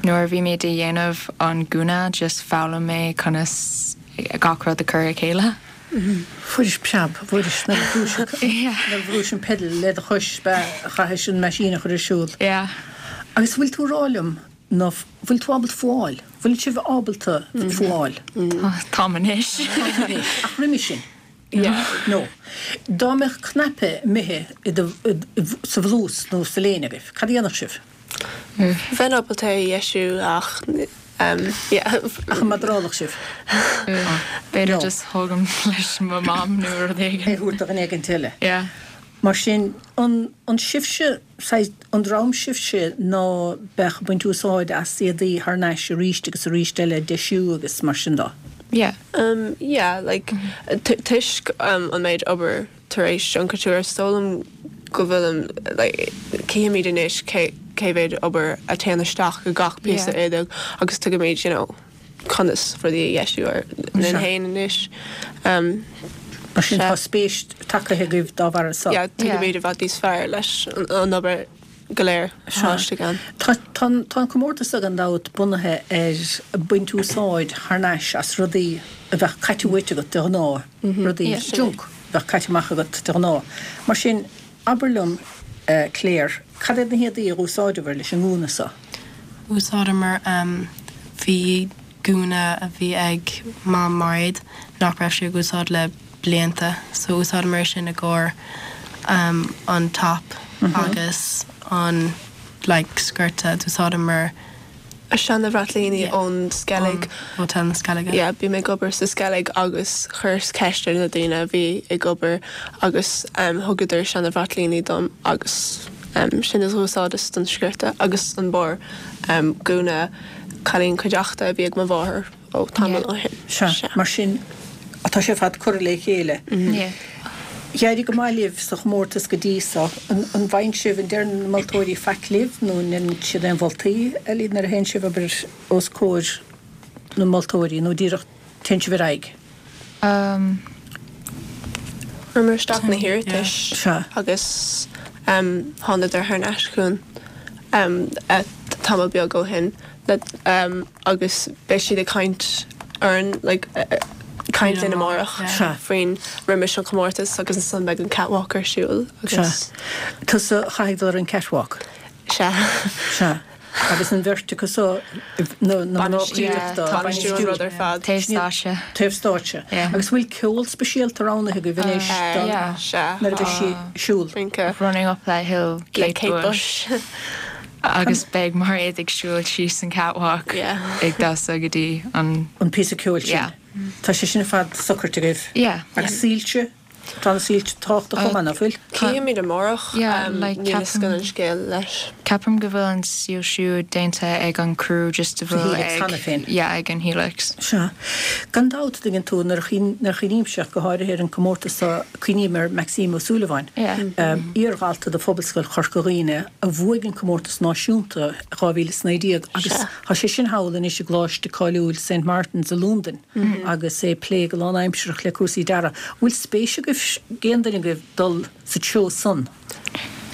nuair a bhí mé ag déanamh an gúna just foghlaim mé conas gach rud a chur a chéile. Fuairis preab, fuairis nuair a bhrúis Yeah. nuair a bhrúis an pedal le do chois be chaithis an machine a chur ar siúl. Yeah. Agus bhfuil tú rá liom nó bhfuil tú ábalta fuáil? Bhfuil sibh ábalta fuáil? Táim anois. Ach roimhe sin. Yeah. No. Dá mbeadh cnaipe imithe i do- i- i- sa bhlús nó sa léine agaibh, cad a dhéanfadh sibh? Bheinn ábalta é a dheisiú ach um, yeah. Ach an mbodhrálfadh sibh? B'fhéidir No. just thógaim leis mo mam nó rud É éigin. thabhairt do dhuine éigin eile. Yeah. Mar sin an, an sibhse saghas- an dream sibhse ná beadh ag baint úsáid as éadaí thar n-ais arís agus arís eile deisiú agus mar sin dó. Yeah. Um, yeah, like t- toisc um, an méid obair tar éis Junk Kouture is dóigh liom go bhfuilim like, címid anois cé cé mhéad obair a théann isteach go gach píosa Yeah. éadaigh agus tuigimid you know, conas rudaí a dheisiú ar linn Sure. féin anois. Um, Mar sin Sea. tá spéis tagtha agaibh dá bharr so. yeah, tuigimid i bhfad níos fearr leis an, an obair go léir Sea. istigh ann. Tá tá tá an comórtas gan dabht bunaithe ar baint úsáid thar n-ais as rudaí a bheadh caite uait agat de ghnáth, rudaí Yeah. junk a bheadh caite amach agat de ghnáth. Mar sin abair liom uh, Claire, cad iad na héadaí a úsáideabhair leis an ngúna so? Úsáideamar um, bhí gúna a bhí ag mam Mairéad nach raibh sé ag úsáid le blianta, so úsáideamar sin i gcomhair um, an top agus an like, sciorta d'úsáideamar A seana bhraitlíní Yeah. ón Skellig. Hotel na Skellige. Yeah, bhí mé ag obair sa Skellig agus chuireas ceist ar na daoine a bhí ag obair agus um, thugadar seana bhraitlíní dom agus um, sin is úsáideas don sciorta agus an barr um, gúna cailín cuideachta a bhí ag mo mháthair ó tamall ó shin. Sea, mar sin atá sé fad cur le chéile. Yeah. D'éirigh go maith libh sa chomórtas go dtí so an, an bhfaigheann sibh an ndeireann na moltóirí faic libh nó ndéanann siad aon mholtaí eile nuair a théann sibh abair os comhair na moltóirí nó díreach téann sibh ar aghaidh. Um, Chuireamar isteach na hiarratais Sea. agus um, thánadar thar n-ais chugainn um, tamall beag ó shin le, um, agus beidh siad ag caint orainn like, uh, caint linn amárach Sea. faoin roimis an chomórtas agus ansan beidh an catwalk ar siúl agus Sea. Tusa a chaithfidh dul ar an catwalk? Sea. Sea. Agus an bheirt acu so, na na mná cuideachta, Tá bainistiú an rud ar fad. Taobh stáitse. Taobh stáitse. Agus bhfuil ceol speisialta roghnaithe agaibh anois don nuair a bheidh sí ag siúl? Running up that hill, Le Kate Kate Bush. Agus beidh Mairéad ag siúl síos an catwalk ag damhsa go dtí an An píosa ceoil sin. Tá sé sin ar fad socraithe agaibh. Yeah. Agus soilse? Tá na soilse tábhachtach chomh maith, nach bhfuil? Cífimid amárach, Yeah, like níl a fhios ceapaim againn an scéal leis. Ceapaim go bhfuil an soilsiú déanta ag an crew just a Sa bhfuil Helix cheana ag féin. yeah, ag an Helix. Sea. Gan dabht, an dtuigeann tú, nuair a nuair a chuimhnímse ach go háirithe ar an comórtas seo, cuimhním ar Maxime Ó Súilleabháin, Yeah. iardhalta de Phobalscoil Chorca Dhuibhne a bhuaigh an comórtas náisiúnta dhá mhíle is naoi déag agus Sea. tá sé sin thall anois i gcoláiste cáiliúil Saint Martin's i Londain Mhm. agus é ag plé go lánaimsearach le cúrsaí dearaidh. Bhfuil spéis agaibh, ag aon duine agaibh, dul sa treo san?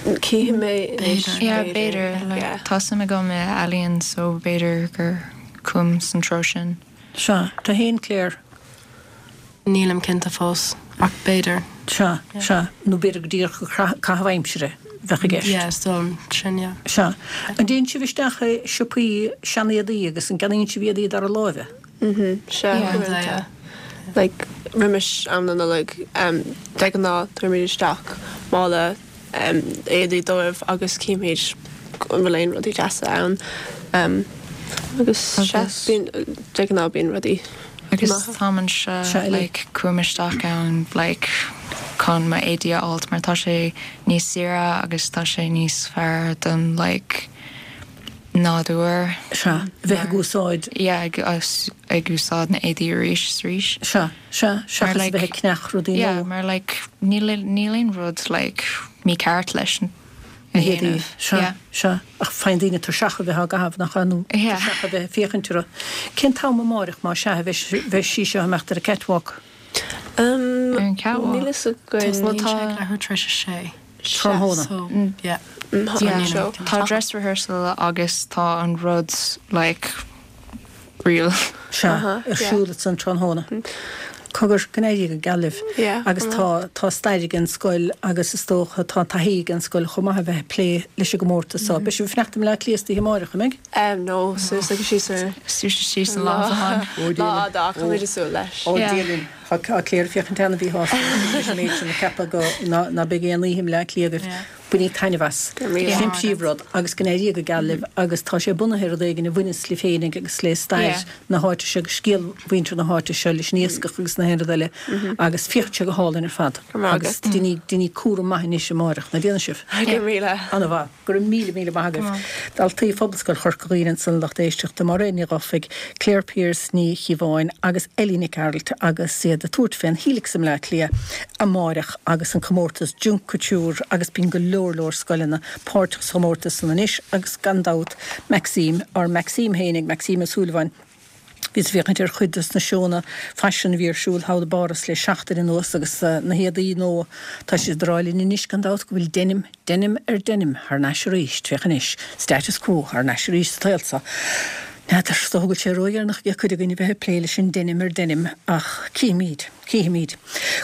Cífidh mé anois, Yeah, b'fhéidir. Like, tá suim agam i ealaíon so b'fhéidir gur chuaim san treo sin. Sea, tú féin Claire? Nílim cinnte fós, ach b'fhéidir. Sea, sea, nó b'fhéidir go díreach caitheamh aimsire bheadh i gceist. Yeah, is dóigh liom sin, yeah. Sea. An dtéann sibh isteach i siopaí seanéadaí agus an gceannaíonn sibh éadaí dara láimhe? Mhm, sea, Yeah. uaireanta. Like, roimis am na Nollag, um, de ghnáth tabharfaimid isteach mála um, éadaí dóibh agus címid an bhfuil aon rudaí deasa ann. Um, agus sea, Agus- bíonn de ghnáth bíonn rudaí Agus maithe. tá anseo Sea, Ellie. like cuaim isteach ann like chun m'éadaí a fháilt mar tá sé níos saoire agus tá sé níos fearr don like nádúr. Sea, bheith ag úsáid. Yeah, ag, ag, ag úsáid na éadaí arís is arís. Sea, sea, seachas like, bheith ag ceannach rudaí Yeah, nua. mar like níl níl aon rud like mícheart leis Na a héadaí, dhéanamh. sea, Yeah. sea, ach faigheann daoine tuirseach a bheith á gcaitheamh nach ea nó Yeah. tuirseach a bheith ag féachaint orthu. Cén t-am amárach má sea a bheidh bheidh sí seo ag imeacht ar an catwalk? Um, Ar an catwalk. Níl fhios againn. Well, tá leathuair tar éis a sé. Tráthnóna. So, yeah. Yeah. So, Tá dress rehearsal agus tá an rud like real. Sea, Uh-huh, ar yeah. siúl san tráthnóna. Cogar go n-éirí go geal libh. Yeah, Agus tá tá stair ag an scoil agus is dócha tá taithí ag an scoil chomh maith a bheith ag plé leis an gcomórtas seo. Beidh sibh ag fanacht i mBleá Cliath istoíche amárach, an mbeidh? Um, no, suas agus síos ar Suas síos an lá amháin. Lá fhada ach táimid ag súil leis. Ó Yeah. Dia linn. Tá tá Claire ag féachaint an-mhíshásta leis an méid sin ag ceapadh go ná ná beidh aon oíche i mBleá Cliath agaibh. Yeah. Bainigí taitneamh as. Go raibh míle. Sin príomhrud agus go n-éirí go geal libh agus tá sé bunaithe ar rud éigin a bhaineas libh féinig agus le stair Yeah. na háite seo agus scéal mhuintir na háite seo leis an iascach agus na haon rud eile agus féach sé go hálainn ar fad. Go raibh Agus agat. déanaigí déanaigí cúram maith anois amárach an ndéanfaidh sibh. Go raibh míle. An-mhaith, go raibh míle míle maith agaibh. Daltaí Phobalscoil Chorca Dhuibhne ansan lucht éisteachta Mairéad Ní Dhufaigh, Claire Pearse Ní Chíobháin agus Ellie Nic Gearailt agus iad ag tabhairt fén Helix i mBleá Cliath amárach agus an comórtas Junk Kouture agus bíonn go leor leor scoileanna páirteach sa chomórtas san anois agus gan dabht Maxime or Maxime féinig Maxime Ó Súilleabháin Bhíos ag féachaint ar chuid des na seónna faisin a bhí ar siúl thall i bPáras le seachtain anuas agus uh, na héadaí nua tá siad ag rá linn anois gan dabht go bhfuil denim, denim ar denim thar n-ais arís, féach anois, status quo thar n-ais arís sa tsaol seo. N'fheadar is dócha go bhfuil sé ródheireanach ag cuid againn a bheith ag plé leis an denim ar denim ach cífimid, cífimid.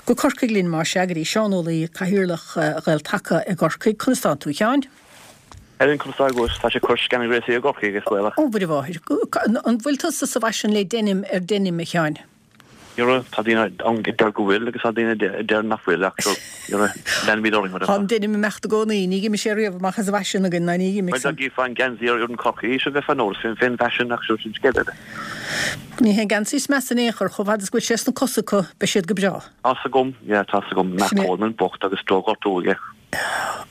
Go Corcaigh linn mar sea go dtí Seán Ó Laoi cathaoirleach uh, Ghael-Taca i gCorcaigh, conas tánn tú a Sheáin? Helen conas tá agus tá sé cur scan gréí a Corcaigh agus baile. Ó Mhuire mháthair, an bhfuil tusa sa bhfaisean le denim ar denim a Sheáin? Jura tá daoine ann a deir go bhfuil agus tá daoine a deir nach bhfuil ach leanfaimid orainn mar Tá an denim ag imeacht i gcónaí, ní d'imigh sé riamh amach as an bhfaisean againn ná ní d'imigh Well gí fan geansaí ar an Corcaigh se bheith fan nóir fin fin fashion ach sin scéal eile. Ní hé geansaí is measa in aon chor chomh fada is go bhfuil sé sna cosa acu beidh siad go breá. Tá agam, yeah, tá agam Matt Sin é- Coleman bocht agus drochghortú aige.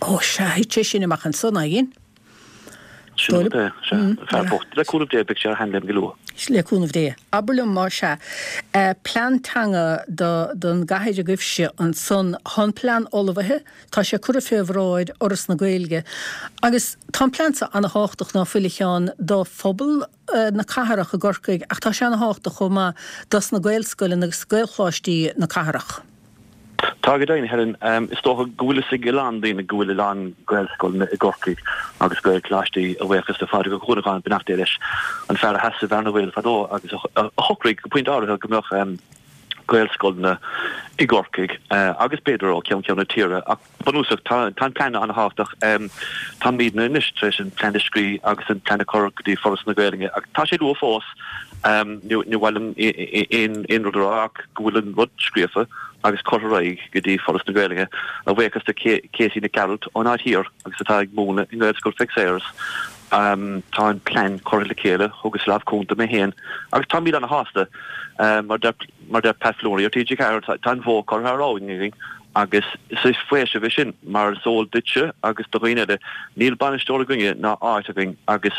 Ó sea, thit sé sin amach ansan againn. Sin rud é, sea, fear bocht. Le cúnamh Dé beidh sé ar sheanléim go luath. Le cúnamh Dé. Abair liom mar sea, eh, plean teanga do don gcathair agaibhse ansan tá an plean ullmhaithe, tá sé curtha fé bhráid Fhoras na Gaeilge. Agus tá an plean seo an-thábhachtach ná fuil a Sheáin do phobal eh, na cathrach i gCorcaigh, ach tá sé an-thábhachtach chomh maith dos na Gaelscoileanna agus Gaelcholáistí na cathrach. Tá go deimhin Helen, um, is dócha go bhfuil a fhios ag a lán daoine go bhfuil a lán Gaelscoileanna i gCorcaigh agus Gaelcholáistí a bhuíochas le Pádraig Ó Cuanacháin beannacht Dé leis an fear a sheas i Bhearna Bhaoil fadó agus a a shocraigh go pointe áirithe go mbeadh um, Gaelscoileanna i gCorcaigh agus b'fhéidir ó cheann ceann na tíre ach bunúsach tá an plean an-thábhachtach. Táimidne anois tar éis an plean a scríobh agus an plean a chur go dtí Foras na Gaeilge ach tá sé luath fós, ní mhaith liom aon rud a rá ach go bhfuil an rud scríofa agus curtha ar aghaidh go dtí Foras na Gaeilge, a bhuíochas do Katie Nic Gearailt ón Aird Thiar agus atá ag múineadh i nGaelscoil Mhic Sayers. Tá an plean curtha le chéile, thugas lámh cúnta mé féin agus táimid ana-shásta. Mar a deir Pat Flannery ar T G Ceathair, tá an bhó curtha thar abhainn againn agus is faoiseamh é sin mar is eol duitse agus do dhaoine eile, níl bainisteoir againne ná áit againn agus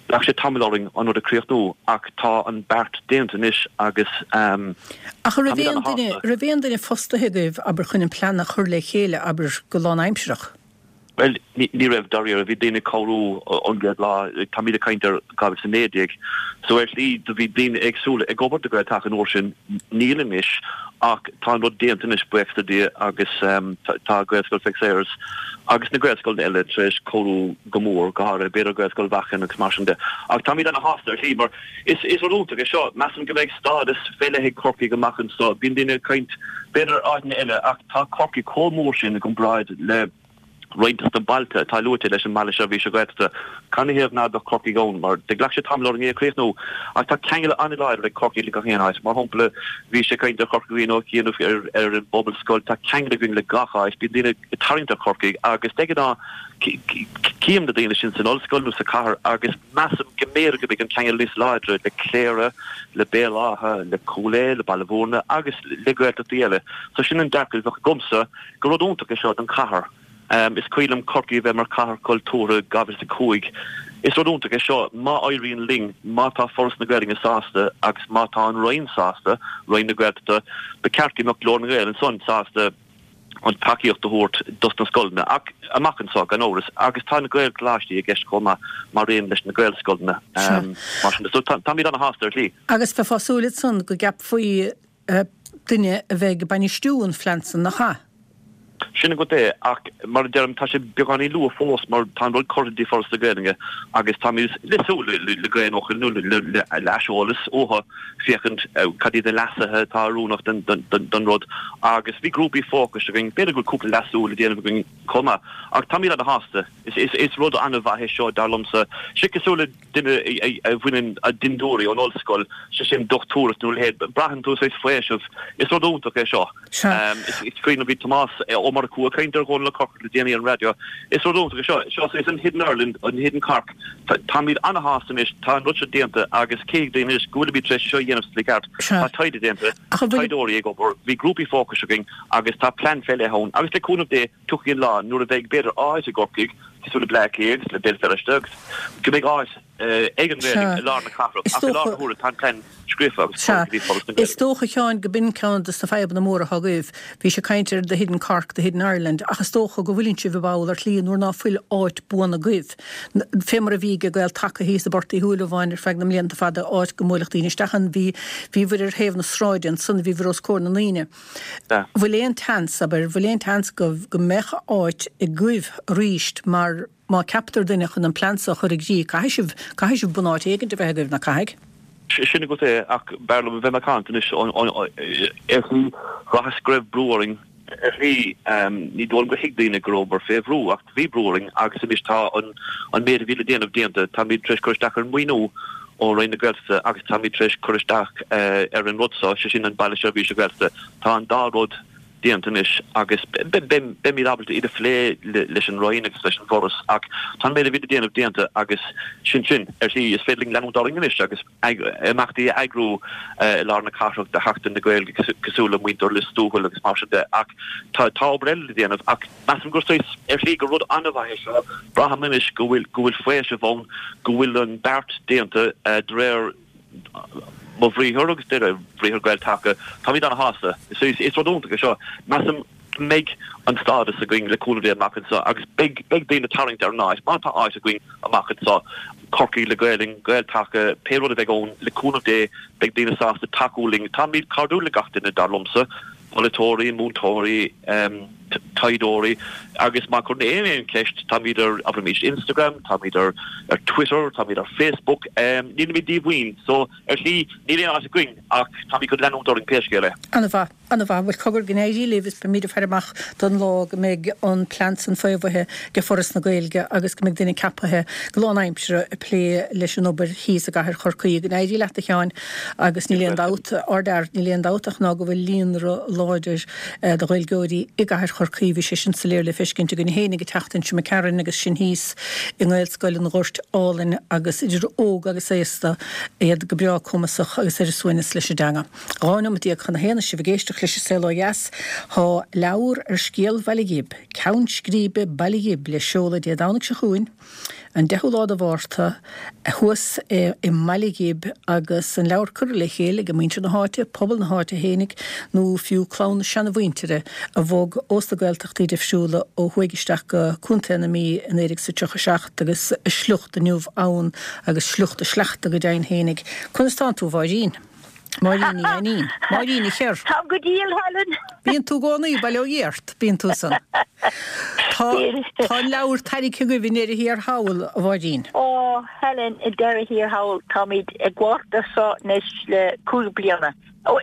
ghlac sé tamall orainn an rud a chríochnú ach tá an beart déanta anois agus Ach an raibh aon duine, raibh aon duine fostaithe agaibh, abair, chun an plean a chur le chéile, abair, go lánaimsearach? Bhuel, ní raibh, dáiríre. Bhí daoine ag cabhrú ón gcéad lá. Táimid ag caint ar dhá mhíle is a naoi déag. So ar shlí, do bhí daoine éagsúla ag obair do Ghael-Taca an uair sin. Níl anois, ach tá an rud déanta anois, buíochas le Dia, agus tá Gaelscoil Mhic Sayers agus na Gaelscoileanna eile tar éis cabhrú go mór, go háirithe b'fhéidir Gaelscoil Mhachain agus mar sin de. Ach táimid ana-shásta ar shlí, mar is rud iontach é seo. Measaim go mbeidh stádas fé leith ag Corcaigh amach anseo. Bíonn daoine ag caint b'fhéidir ar áiteanna eile, ach tá Corcaigh chomh mór sin i gcomparáid le roinnt de na bailte atá luaite leis an mBaile Seirbhíse Gaeltachta. Canathaobh ná beadh Corcaigh ann? Mar do ghlac sé tamall orainn é a chríochnú. Ach tá ceangal an-láidir ag Corcaigh le gach aon áit. Mar shampla, bhí sé ag caint ar Chorca Dhuibhne ó chianaibh ar ar an bPobalscoil. Tá ceangal againn le gach áit. Bíonn daoine ag tarraingt ar Chorcaigh agus de ghnáth cím na daoine sin san ollscoil nó sa chathair agus measaim go mb'fhéidir go mbeidh an ceangal níos láidre le Cléire, le Béal Átha, le Cúil Aodha, le Baile Bhúirne agus le Gaeltachtaí eile. So sin an dearcadh a bheadh agamsa gur rud iontach é seo don chathair. Is cuimhin liom Corcaigh a bheith mar chathair cultúrtha dhá mhíle is a cúig. Is rud iontach é seo má éiríonn linn, má tá Foras na Gaeilge sásta agus má tá an Roinn sásta, Roinn na Gaeltachta, ba cheart go mbeadh Glór na nGael ansan sásta an tacaíocht a thabhairt dos na scoileanna ach amach anseo gan amhras agus tá na Gaelcholáistí i gceist chomh maith mar aon leis na Gaelscoileanna mar sin de. So táimid ana-shásta ar shlí. Agus bheifeá ag súil ansan go gceapfaí duine a bheidh ag bainistiú an phlean san, nach ea? Sin agat é, ach mar a deirim, tá sé beagáinín luath fós mar tá an rud curtha dtí Foras na Gaeilge agus táimid le súil le gaeilge nó le aiseolas uathu féachaint cad iad na leasuithe atá oiriúnach don rud agus bhí grúpaí fócais againn, b'fhéidir go bhfuil cúpla leasú le déanamh againn chomh maith ach táimid ana-shásta. Is rud an-mhaith é seo dar liomsa. Sé cosúil le duine a bhaineann a dhintiúirí ón ollscoil, sé sin dochtúireacht nó a leithéid, braitheann tú saghas faoiseamh. Is rud iontach é seo. Is cuimhin liom bhí Tomás Ó Murchú ag caint ar Dhónal Ó Corcora le déanaí ar an raidió. Is rud iontach é seo. Seo saghas an Hidden Ireland, an Hidden Cork. Táimid ana-shásta anois, tá an rud seo déanta agus cífidh daoine anois go bhfuilimid tar éis seo a dhéanamh sa tslí cheart. Tá taighde déanta, taighdeoirí ag obair, bhí grúpaí fócais againn agus tá plean fé leith ann agus le cúnamh Dé tiocfaidh an lá nuair a bheidh b'fhéidir áit i gCorcaigh cosúil le Bleá Cliath agus le Béal Feirste agus go mbeidh áit ag an nGaeilge i lár na cathrach ach i láthair na huaire tá an plean scríofa agus curtha go dtí Foras na Gaeilge. Is dócha, a Sheáin, go b'in ceann de na fadhbanna móra atá agaibh. Bhí sé ag caint ar the hidden Cork, the hidden Ireland, ach is dócha go bhfuileann sibh i mbaol ar shlí nuair ná fuil áit buan agaibh. Fé mar a bhí ag Gael Taca thíos i bPort Uí Shúilleabháin ar feadh na mblianta fada, áit go mbuailfeadh daoine isteach ann. Bhí, bhíobhair ar thaobh na sráide ansan, bhíobhair os comhair na ndaoine. Bhfuil aon tseans, abair, bhfuil aon tseans go, go mbeadh áit agaibh aríst mar má ceaptar duine chun an plean so a chur i gcrích, caithfidh sibh, caithfidh sibh bunáit éigint a bheith agaibh, ná caithfidh? Sin agat é, ach b'fhearr liom a bheith macánta anois ar shlí, bhraitheas go raibh brú orainn ar shlí, ní dóigh liom gur thuig daoine go rabhamar fé bhrú, ach bhí brú orainn agus anois tá an méid a bhí le déanamh déanta, táimid tar éis cur isteach ar an maoiniú ó Roinn na Gaeltachta agus táimid tar éis cur isteach ar an rud seo, sé sin an Baile Seirbhíse Gaeltachta. Tá an dá rud déanta anois agus beimid ábalta iad a phlé leis an Roinn agus leis an bhForas ach tá an méid a bhí le déanamh déanta agus sin sin. Ar shlí, is féidir linn leanúint orainn anois agus imeachtaí a eagrú i lár na cathrach do Sheachtain na Gaeilge cosúil le muintir Lios Tuathail agus mar sin de ach tá obair eile le déanamh ach measaim gur saghas ar shlí gur rud an-mhaith é seo. Braithim anois go bhfuil go bhfuil faoiseamh ann, go bhfuil an beart déanta de réir mo bhriathar agus de réir bhriathar Gael Taca. Táimid ana-shásta. Is rud iontach é seo. Measaim go mbeidh an stádas againn le cúnamh Dé amach anseo agus beidh beidh daoine ag tarraingt ar an áit. Má tá áit againn amach anseo, Corcaigh le Gaelainn, Gael Taca, pé rud a bheidh ann, le cúnamh Dé beidh daoine sásta tacú linn. Táimid cairdiúil le gach duine, dar liomsa, polaiteoirí, múinteoirí, taighdeoirí agus má chuireann éinne aon cheist táimid ar abraimis Instagram, táimid ar ar Twitter, táimid ar Facebook, um, nílimid díomhaoin, so ar shlí níl aon áit againn ach táimid chun leanúint orainn pé scéal é. An-mhaith, an-mhaith, bhuel cogar go n-éirí libh is beimid ag faire amach don lá go mbeidh an plean san faomhaithe ag Foras na Gaeilge agus go mbeidh duine ceapaithe go lánaimseartha ag plé leis an obair thíos i gcathair Chorcaí. Go n-éirí leat a Sheáin agus níl aon dabht, ardfhear, níl aon dabht ach ná go bhfuil líonra láidir de Ghaeilgeoirí i gcathair Chorcaí. Bhí sé sin soiléir le feiscint againn féinig an tseachtain seo imigh tharainn agus sinn thíos i nGaelscoil an Ghoirt Álainn agus idir óg agus aosta iad go breá cumasach agus ar a suaimhneas leis an dteanga. Dhá nóiméad déag chun a haon sibh ag éisteacht leis an Saol Ó Dheas tá leabhar ar scéal Bhaile Ghib, Ceann Scríbe Baile Ghib le seoladh Dé Domhnaigh seo chugainn, an deichiú lá de Mhárta, thuas i mBaile Ghib agus an leabhar curtha le chéile ag muintir na háite, pobal na háite fhéinig nó fiú clann na seanamhuintire a bhog ós na Gaeltachtaí difriúla ó thuaidh isteach go Contae na Mí in naoi déag is a tríocha seacht agus a sliocht inniu ann agus sliocht a sleachta go deimhin fhéinig. Conas tánn tú, a Mháirín? Máirín Ní Ainnín. Máirín Ní Chearr. Táim go diail, Helen. Bíonn tú i gcónaí, bail ó Dhia ort, bíonn tú san. Tá tá an leabhar tairgthe agaibh i ndeireadh thiar thall, a Mháirín. Ó, Helen, i ndeireadh thiar thall, táimid ag gabháil air seo anois le cúig bliana. Ó,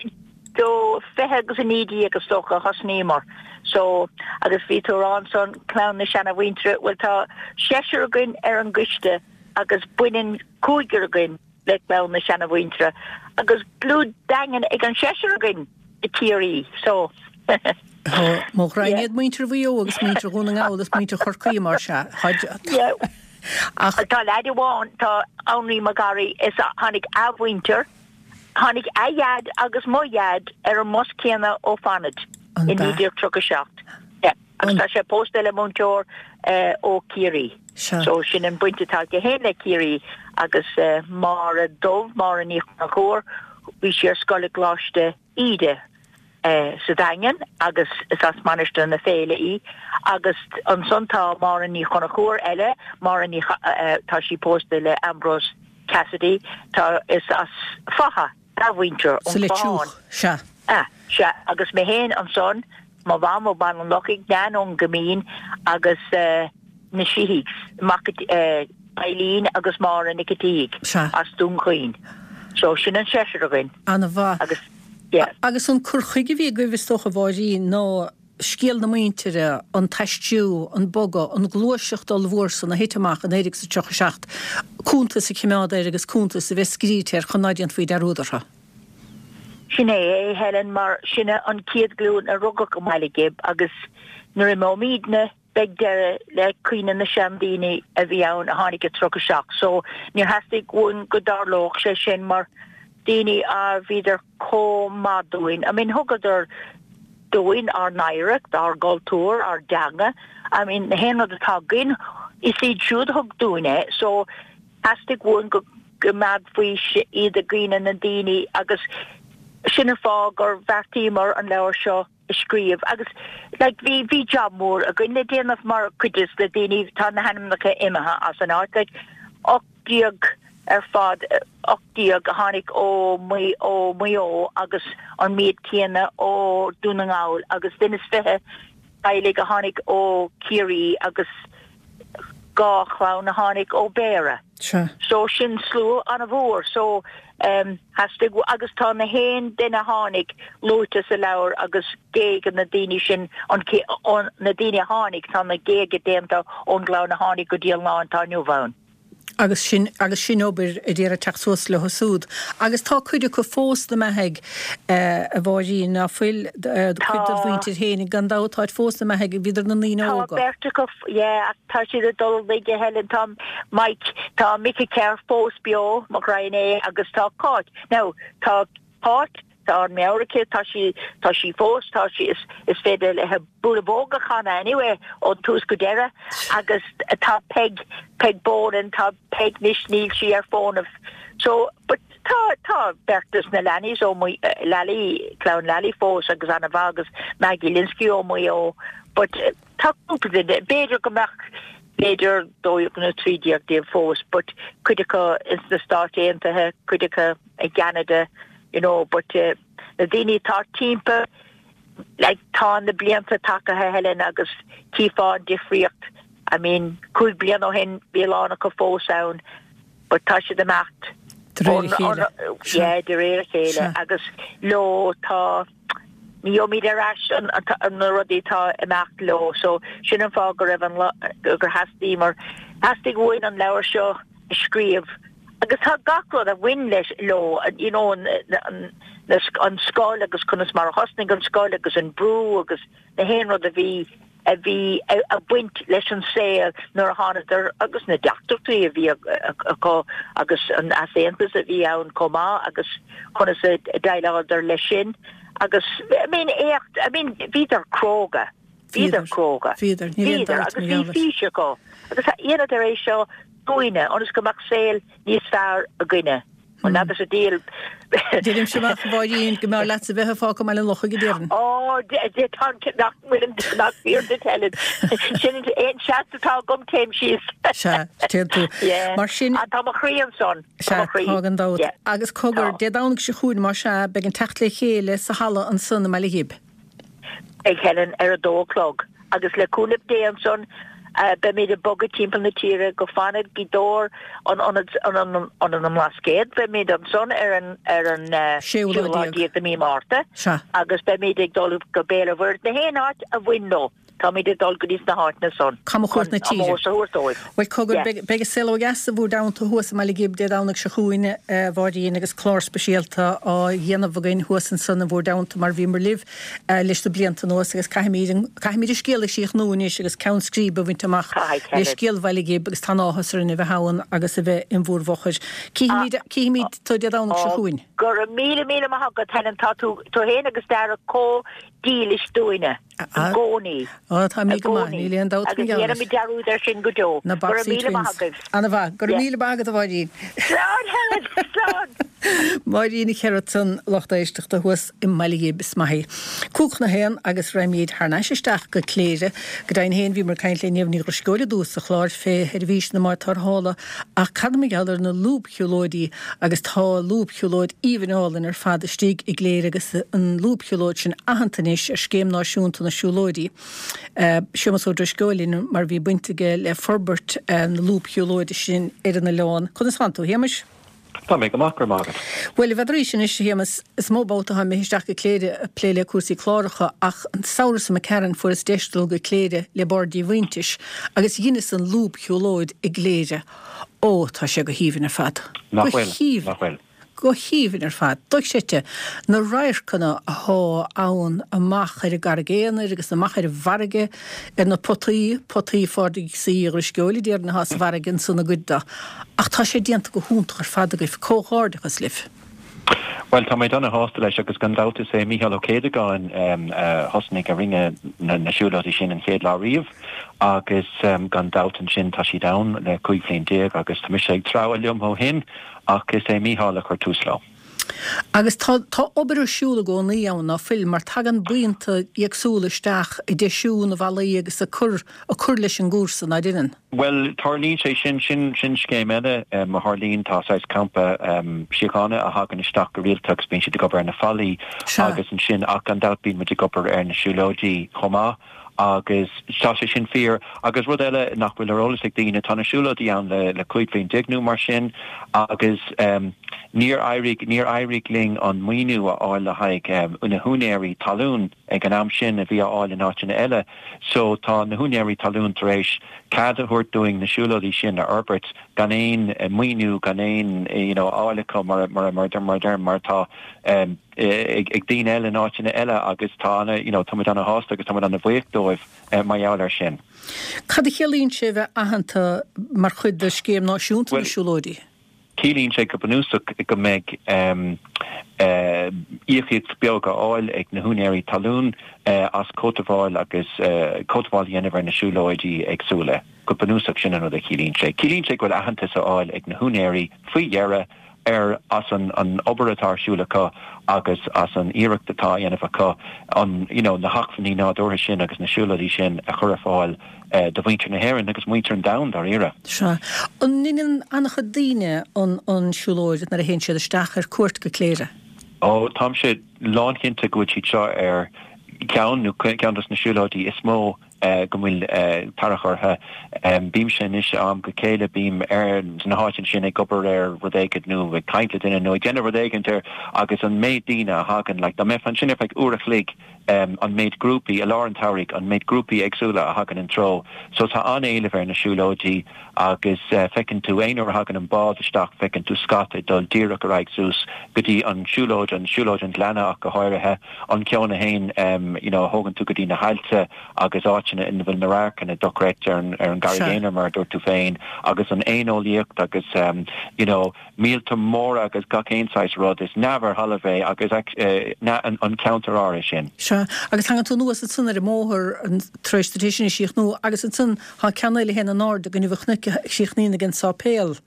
do fiche agus a naoi déag is dócha a thosnaíomar. So, agus bhí tú ag rá ansan, clann na seanamhuintire, bhuel tá seisear againn ar an gcoiste agus baineann cúigear againn le clann na seanamhuintire agus dlúth daingean ag an seisear againn i Ciarraí. So, Tá mo ghraidhin iad muintir Mhaigh Eo agus muintir Dhún na nGall is muintir Chorcaí mar sea. Yeah. Ach tá leaid amháin, tá Anraí Mac Garaidh, is tháinig a mhuintir, tháinig a dhaid agus mo dhaid ar an mbus céanna ó Fánaid i naoi déag tríocha seacht. Yeah. Agus tá sé pósta le múinteoir ó Ciarraí. So sin an baint atá aige féin le Ciarraí agus Máire Dubh, Máire Ní Chonchúir, bhí sí ar scoil i gColáiste Íde sa Daingean agus is as Mainistir na Féile í agus ansan tá Máire Ní Chonchúir eile, Máire Ní tá sí pósta le Ambrose Cassidy, tá is as Fatha a mhuintir ón Clochán. Sea. Ah, sea, agus mé féin ansan, mo mham ó Bhaile an Lochaigh, Nan ón gCoimín agus na Sheehy's, mac Eileen agus Máire Nic an tSíthigh as Dún Chaoin. So sin an seisear againn. Ana-mhaith. Agus, yeah. Agus an cur chuige a bhí agaibh is dócha a Mháirín ná scéal na muintire, an t-aistriú, an bogadh, an ghluaiseacht ollmhór san a thit amach i naoi déag is a tríocha seacht, cuntas a choimeád air agus cuntas a bheith scríte air chun ná déanfaí dearúd orthu. Sin é é, Helen, mar sinne an chéad ghlúin a rugadh i mBaile Ghib agus nuair a imeoimidne beidh deireadh le cuimhne na seandaoine a bhí ann a tháinig i tríocha seacht. So níor theastaigh uainn go dtarlódh sé sin mar daoine a bhíodar chomh maith dúinn. I mean thugadar dúinn ár n-oidhreacht, ár gcultúr, ár dteanga. I mean na haon rud atá againn is iad siúd a thug dúinn é. So theastaigh uainn go gcoimeádfaí iad i gcuimhne na ndaoine agus sin an fáth gur bheartaíomar an leabhar seo a scríobh agus like bhí bhí job mór againn le déanamh mar cuid de na daoine tá na hainmneacha imithe as an áit like ocht déag ar fad ocht déag a tháinig ó Maigh ó Maigh Eo agus an méid céanna ó Dún na nGall agus duine is fiche teaghlaigh a tháinig ó Ciarraí agus dhá chlann a tháinig ó Béarra. Sea. So sin slua an-mhór. So em theastaigh agus tá na haon duine a tháinig luaite sa leabhar agus géaga na daoine sin an na daoine a tháinig tá na géaga déanta ón gclann a tháinig go dtí an lá atá inniu ann. Agus sin, agus sin obair a d'iarraidh teacht suas leo súd. Agus tá cuid acu fós 'na mbeathaidh, a Mháirín, ná fuil, cuid dod mhuintir féinig, gan dabht, táid fós 'na mbeathaidh, bhíodar 'na ndaoine Tá óga. beirt acu, yeah, ach tá siad ag dul i laige, a Helen, tá Mike, tá Mick Kerr fós beo, mo ghraidhin é, agus tá Cáit. Now, tá Cáit, Tá an meabhair aici, tá sí, tá sí fós, tá sí, is, is féidir léi Bualadh Bog a chanadh anyway ón tús go deireadh agus tá Peig, Peig Boland, tá Peig anois, níl sí ar fónamh. So, but tá, tá beirt des na Lannys ó Maigh, Lally, clann Lally fós agus ana-mhaith agus Maggie Lynskey ó Mhaigh Eo but tá cúpla duine, b'fhéidir go mbeadh, b'fhéidir dó dhéag nó trí déag díobh fós but cuid acu ins na Stáit Aontaithe, cuid acu i gCeanada, you know but na daoine atá timpeall like tá na blianta tagaithe Helen agus chífeá an difríocht I mean cúig bliana ó shin bhí a lán acu fós ann but tá siad imeacht De réir a chéile. Yeah, de réir a chéile agus leo tá ní gheobhaimid ar ais an na rudaí atá imeacht leo so sin an fáth go raibh an gur theastaigh mar theastaigh uainn an leabhar seo a scríobh agus tá gach rud a bhain leis leo you know an an an scoil agus conas mar a thosnaigh an scoil agus an brú agus na haon rud a bhí a bhí ag baint leis an saol nuair a thánadar agus na deacrachtaí a bhí acu agus an easaontas a bhí ann chomh maith agus conas a dhéileáladar leis sin agus I mean éacht I mean bhíodar cróga bhíodar cróga bhíodar bhíodar agus bhí fís acu agus dheineadar é seo dúinne ionas go mbeadh saol níos fearr againne. An leath a díol. Deirimse amach a Mháirín go mb'fhearr leatsa bheith ag fágáil i mBaile an Lochaigh go deimhin. Ó tá nach bhfuil nach fíor duit Helen. Sin aon seans atá agam téim síos. Sea, téann tú. Mar sin. Tá mo chroí ansan. Sea, tá gan dabht. Agus cogar, Dé Domhnaigh seo chugainn más ea, beidh an teacht le chéile sa halla ansan i mBaile Ghib. Beidh Helen ar a dó a chlog agus le cúnamh Dé ansan beimid ag bogadh timpeall na tíre go Fánaid, Gaoth Dobhair, an Ionad Ionad na mBlascaod, beimid ansan ar an ar an séú lá déag de mí Márta agus beimid ag dul go Béal an Mhuirthead, na haon áit a bhain leo. Táimid ag dul go dtí na háiteanna san chun chun na tíre. ómós a thabhairt dóibh. Bhuel cogar, beidh an saol ó dheas i bhúr dteannta thuas i mBaile Ghib Dé Domhnaigh seo chugainn, a Mháirín, agus clár speisialta á dhéanamh againn thuas ansan i bhúr dteannta mar bhíomar libh leis na blianta anuas agus caithfimid an caithfimid an scéal a chríochnú anois agus ceann scríbe a bhaint amach Caithfidh, le scéal Bhaile Ghib agus tá an-áthas orainn a bheith ann agus a bheith in bhúr bhfochair. Cífimid cífimid tú Dé Domhnaigh seo chugainn. Go raibh míle míle maith agat Helen, tá tú tú féin agus Dara chomh dílis dúinne i gcónaí. Ó, táimid go maith, níl aon dabht Agus ní dhéanfaimid dearúd air sin go deo. Na Go raibh Boxy míle maith Twins. agaibh. Ana-mhaith. Go raibh míle maith agat, a Mháirín. Slán, Helen, slán! Máirín Nic Gearailt, lucht éisteachta thuas i mBaile Ghib, is maith í. Cúig chun a haon agus raghaimid thar n-ais isteach go Cléire. Go deimhin féin bhíomar ag caint le Niamh Ní Dhrisceoil i dtús an chláir fé sheirbhís na mbád tarrthála ach cad mar gheall ar na lúbshiúlóidí agus tá lúbshiúlóid aoibhinn álainn ar fad istigh i gCléire agus an lúbshiúlóid sin aitheanta anois ar Scéim Náisiúnta na Siúlóidí. Séamus Ó Drisceoil linn mar bhí baint aige le forbairt na lúbshiúlóide sin ar an oileán. Conas tánn tú, a Shéamais? Tá mé go maith, go raibh maith agat. Bhuel, n'fheadaraís anois, a Shéamais, is mó babhta atá mé isteach go Cléire ag plé le cúrsaí cláracha ach an samhradh seo imigh tharainn fuaireas deis dul go Cléire le Bord Díomhaointis agus dheineas an lúbshiúlóid i gCléire. Ó, tá sé go haoibhinn ar fad. Nach Go bhfuil? haoibhinn. Nach bhfuil? Go haoibhinn ar fad. Dochreidte na radharcanna athá ann amach ar an gCarraig Aonair agus amach ar an bhfarraige, ar na potaí, potaí Phádraig C. Uí Dhrisceoil a déarfainn athá sa bhfarraige ansan i gcuid de. Ach tá sé déanta go hiontach ar fad agaibh. Comhghairdeachas libh. Bhuel, tá mé ana-shásta leis agus gan dabht is é Mícheál Ó Céadagáin a thosnaigh a rinne na siúlóidí sin an chéad lá riamh agus gan dabht ansin tá siad ann le cúig bhliain déag agus tá mise ag treabhadh liom ó shin ach is é Mícheál a chuir tús leo. Agus tá tá obair ar siúl i gcónaí ann, ná fuil, mar tagann buíonta éagsúla isteach ag deisiú na bhfallaí agus ag cur ag cur leis an gcúrsa, ná deineann? Bhuel, tarlaíonn sé sin, sin sin scéim eile a tharlaíonn, tá saghas campa síochána a thagann isteach go rialta agus bíonn siad ag obair ar na fallaí agus ansin ach gan dabht bíonn muid ag obair ar na siúlóidí chomh maith agus tá sé sin fíor. Agus rud eile nach bhfuil ar eolas ag daoine, tá na siúlóidí ann le le cúig bhliain déag nó mar sin agus níor éirigh níor éirigh linn an maoiniú a fháil le haghaidh na húinéirí talún ag an am sin a bhí á fháil in áiteanna eile. So tá na húinéirí talún tar éis cead a thabhairt dúinn na siúlóidí sin a fhorbairt gan aon maoiniú, gan aon you know a fháil acu mar mar mar mar mar atá ag daoine eile in áiteanna eile agus tá ana you know tá muid ana-shásta agus tá muid ana-bhuíoch dóibh mar gheall air sin. Cad a chiallaíonn sé a bheith aitheanta mar chuid de Scéim Náisiúnta na Siúlóidí? Ciallaíonn sé go bunúsach go mbeidh íocaíocht beag á fháil ag na húinéirí talún as cothabháil agus cothabháil a dhéanamh ar na siúlóidí éagsúla. Go bunúsach sin an rud a chiallaíonn sé. Ciallaíonn sé go bhfuil aitheantas á fháil ag na húinéirí faoi dheireadh ar as an an obair atá ar siúl acu agus as an iarracht atá á dhéanamh acu an you know na hacmhainní nádúrtha sin agus na siúlóidí sin a chur ar fáil do mhuintir na hÉireann agus muintir an domhain dáiríre. Sea. An ndeineann an-chuid daoine an an siúlóid nuair a théann siad isteach ar cuairt go Cléire? Ó, táimse lánchinnte go bhfuil siad seo ar ceann nó ceann dos na siúlóidí is mó go bhfuil tarrac orthu. Bímse anois am go chéile, bím ar na háiteanna sin ag obair ar rud éigin nó ag caint le duine nó ag déanamh rud éigin ar agus an méid daoine a thagann, like dá mbeifeá ansin ar feadh uair a chloig, an méid grúpaí i lár an tsamhraidh, an méid grúpaí éagsúla a thagann an treo. So tá an-éileamh ar na siúlóidí agus feiceann tú aon uair a thagann an bád isteach, feiceann tú scata ag dul díreach ar aghaidh suas go dtí an siúlóid, an siúlóid an Ghleanna ach go háirithe, an ceann a théann you know a thógann tú go dtí na haillte agus áiteanna ina bhfuil na radharcanna dochreidte ar an ar an gCarraig Aonair mar a dúirt tú féin agus an éaneolaíocht agus you know míolta móra agus gach aon saghas rud. Is neamh ar thalamh é agus an ceantar áirithe sin. Sea, agus tagann tú anuas ansan ar an mbóthar tar éis duit é sin a chríochnú agus ansan tá ceann eile a théann in airde go Inbhear Chnoic a chríochnaíonn ag an sáipéal.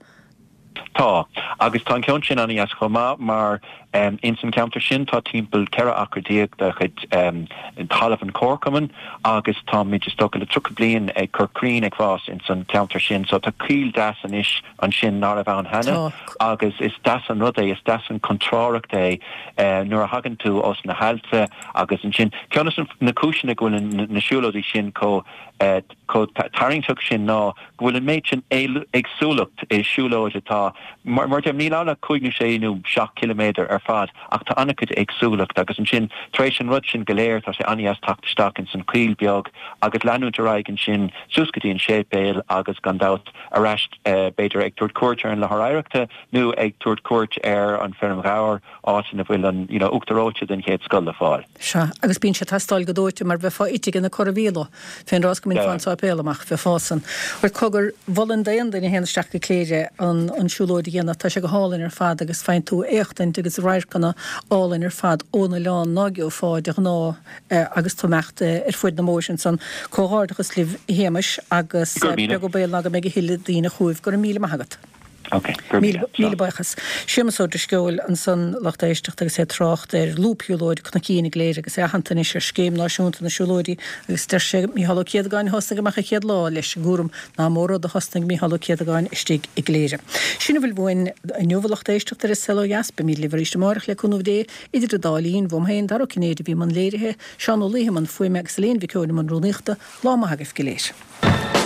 Tá, agus tá an ceann sin an-dheas chomh maith mar ins an ceantar sin tá timpeall ceithre acra déag de chuid talamh an Chomharchumainn agus táimid is dócha le tríocha bliain ag cur crainn ag fás ins an ceantar sin so tá coill deas anois ansin ná raibh ann cheana agus is deas an rud é, is deas an contrárthacht é nuair a thagann tú ós na haillte agus ansin ceann de na cúiseanna go bhfuil na siúlóidí sin chomh chomh tarraingteach sin ná go bhfuil an méid sin éagsúlacht i siúlóid atá, mar a deirim, níl ann ach cúig nó sé nó seacht ciliméadar ar fad ach tá an-chuid éagsúlacht agus ansin tar éis an rud sin go léir tá sé an-dheas teacht isteach ins an choill beag agus leanúint ar aghaidh ansin suas go dtí an séipéal agus gan dabht ar ais b'fhéidir ag tabhairt cuairt ar an láthair oidhreachta nó ag tabhairt cuairt ar an feirm ghabhair áit ina bhfuil an you know uachtar reoite den chéad scoth le fáil. Sea, agus bíonn sé ag teastáil go dóite mar bheifeá ite ag na corramhíola fén rás go mbíonn fán sáipéal amach, bheifeá san. Bhuel cogar, mholfainn d'aon duine a théann isteach go Cléire an an siúlóid a dhéanamh, tá sé go hálainn ar fad agus faigheann tú éachtaint agus radharcanna álainn ar fad ón oileán ná geofá de ghnáth agus tú ag imeacht ar fuaid na mbóithre ansan. Comhghairdeachas libh a Shéamais agus beag an baol ná go mbeidh a thuilleadh daoine chugaibh. Go raibh míle maith agat. Ok, go raibh míle. Míle buíochas. Séamus Ó Drisceoil ansan, lucht éisteachta agus é ag trácht ar lúbshiúlóid Cnoicín i gCléire agus é aitheanta anois ar Scéim Náisiúnta na Siúlóidí agus deir sé Mícheál Ó Céadagáin a thosnaigh amach an chéad lá leis an gcúram nach mó rud a thosnaigh Mícheál Ó Céadagáin istigh i gCléire. Sin a bhfuil uainn inniu a lucht éisteachta ar An Saol Ó Dheas. Beimid libh arís amárach le cúnamh Dé. Idir an dá linn, uaim féin, Dara Ó Cinnéide a bhí i mbun léirithe, Seán Ó Laoithe i mbun fuaime agus Elaine Mhic Eoin i mbun rúnaíochta. Lá maith agaibh go léir.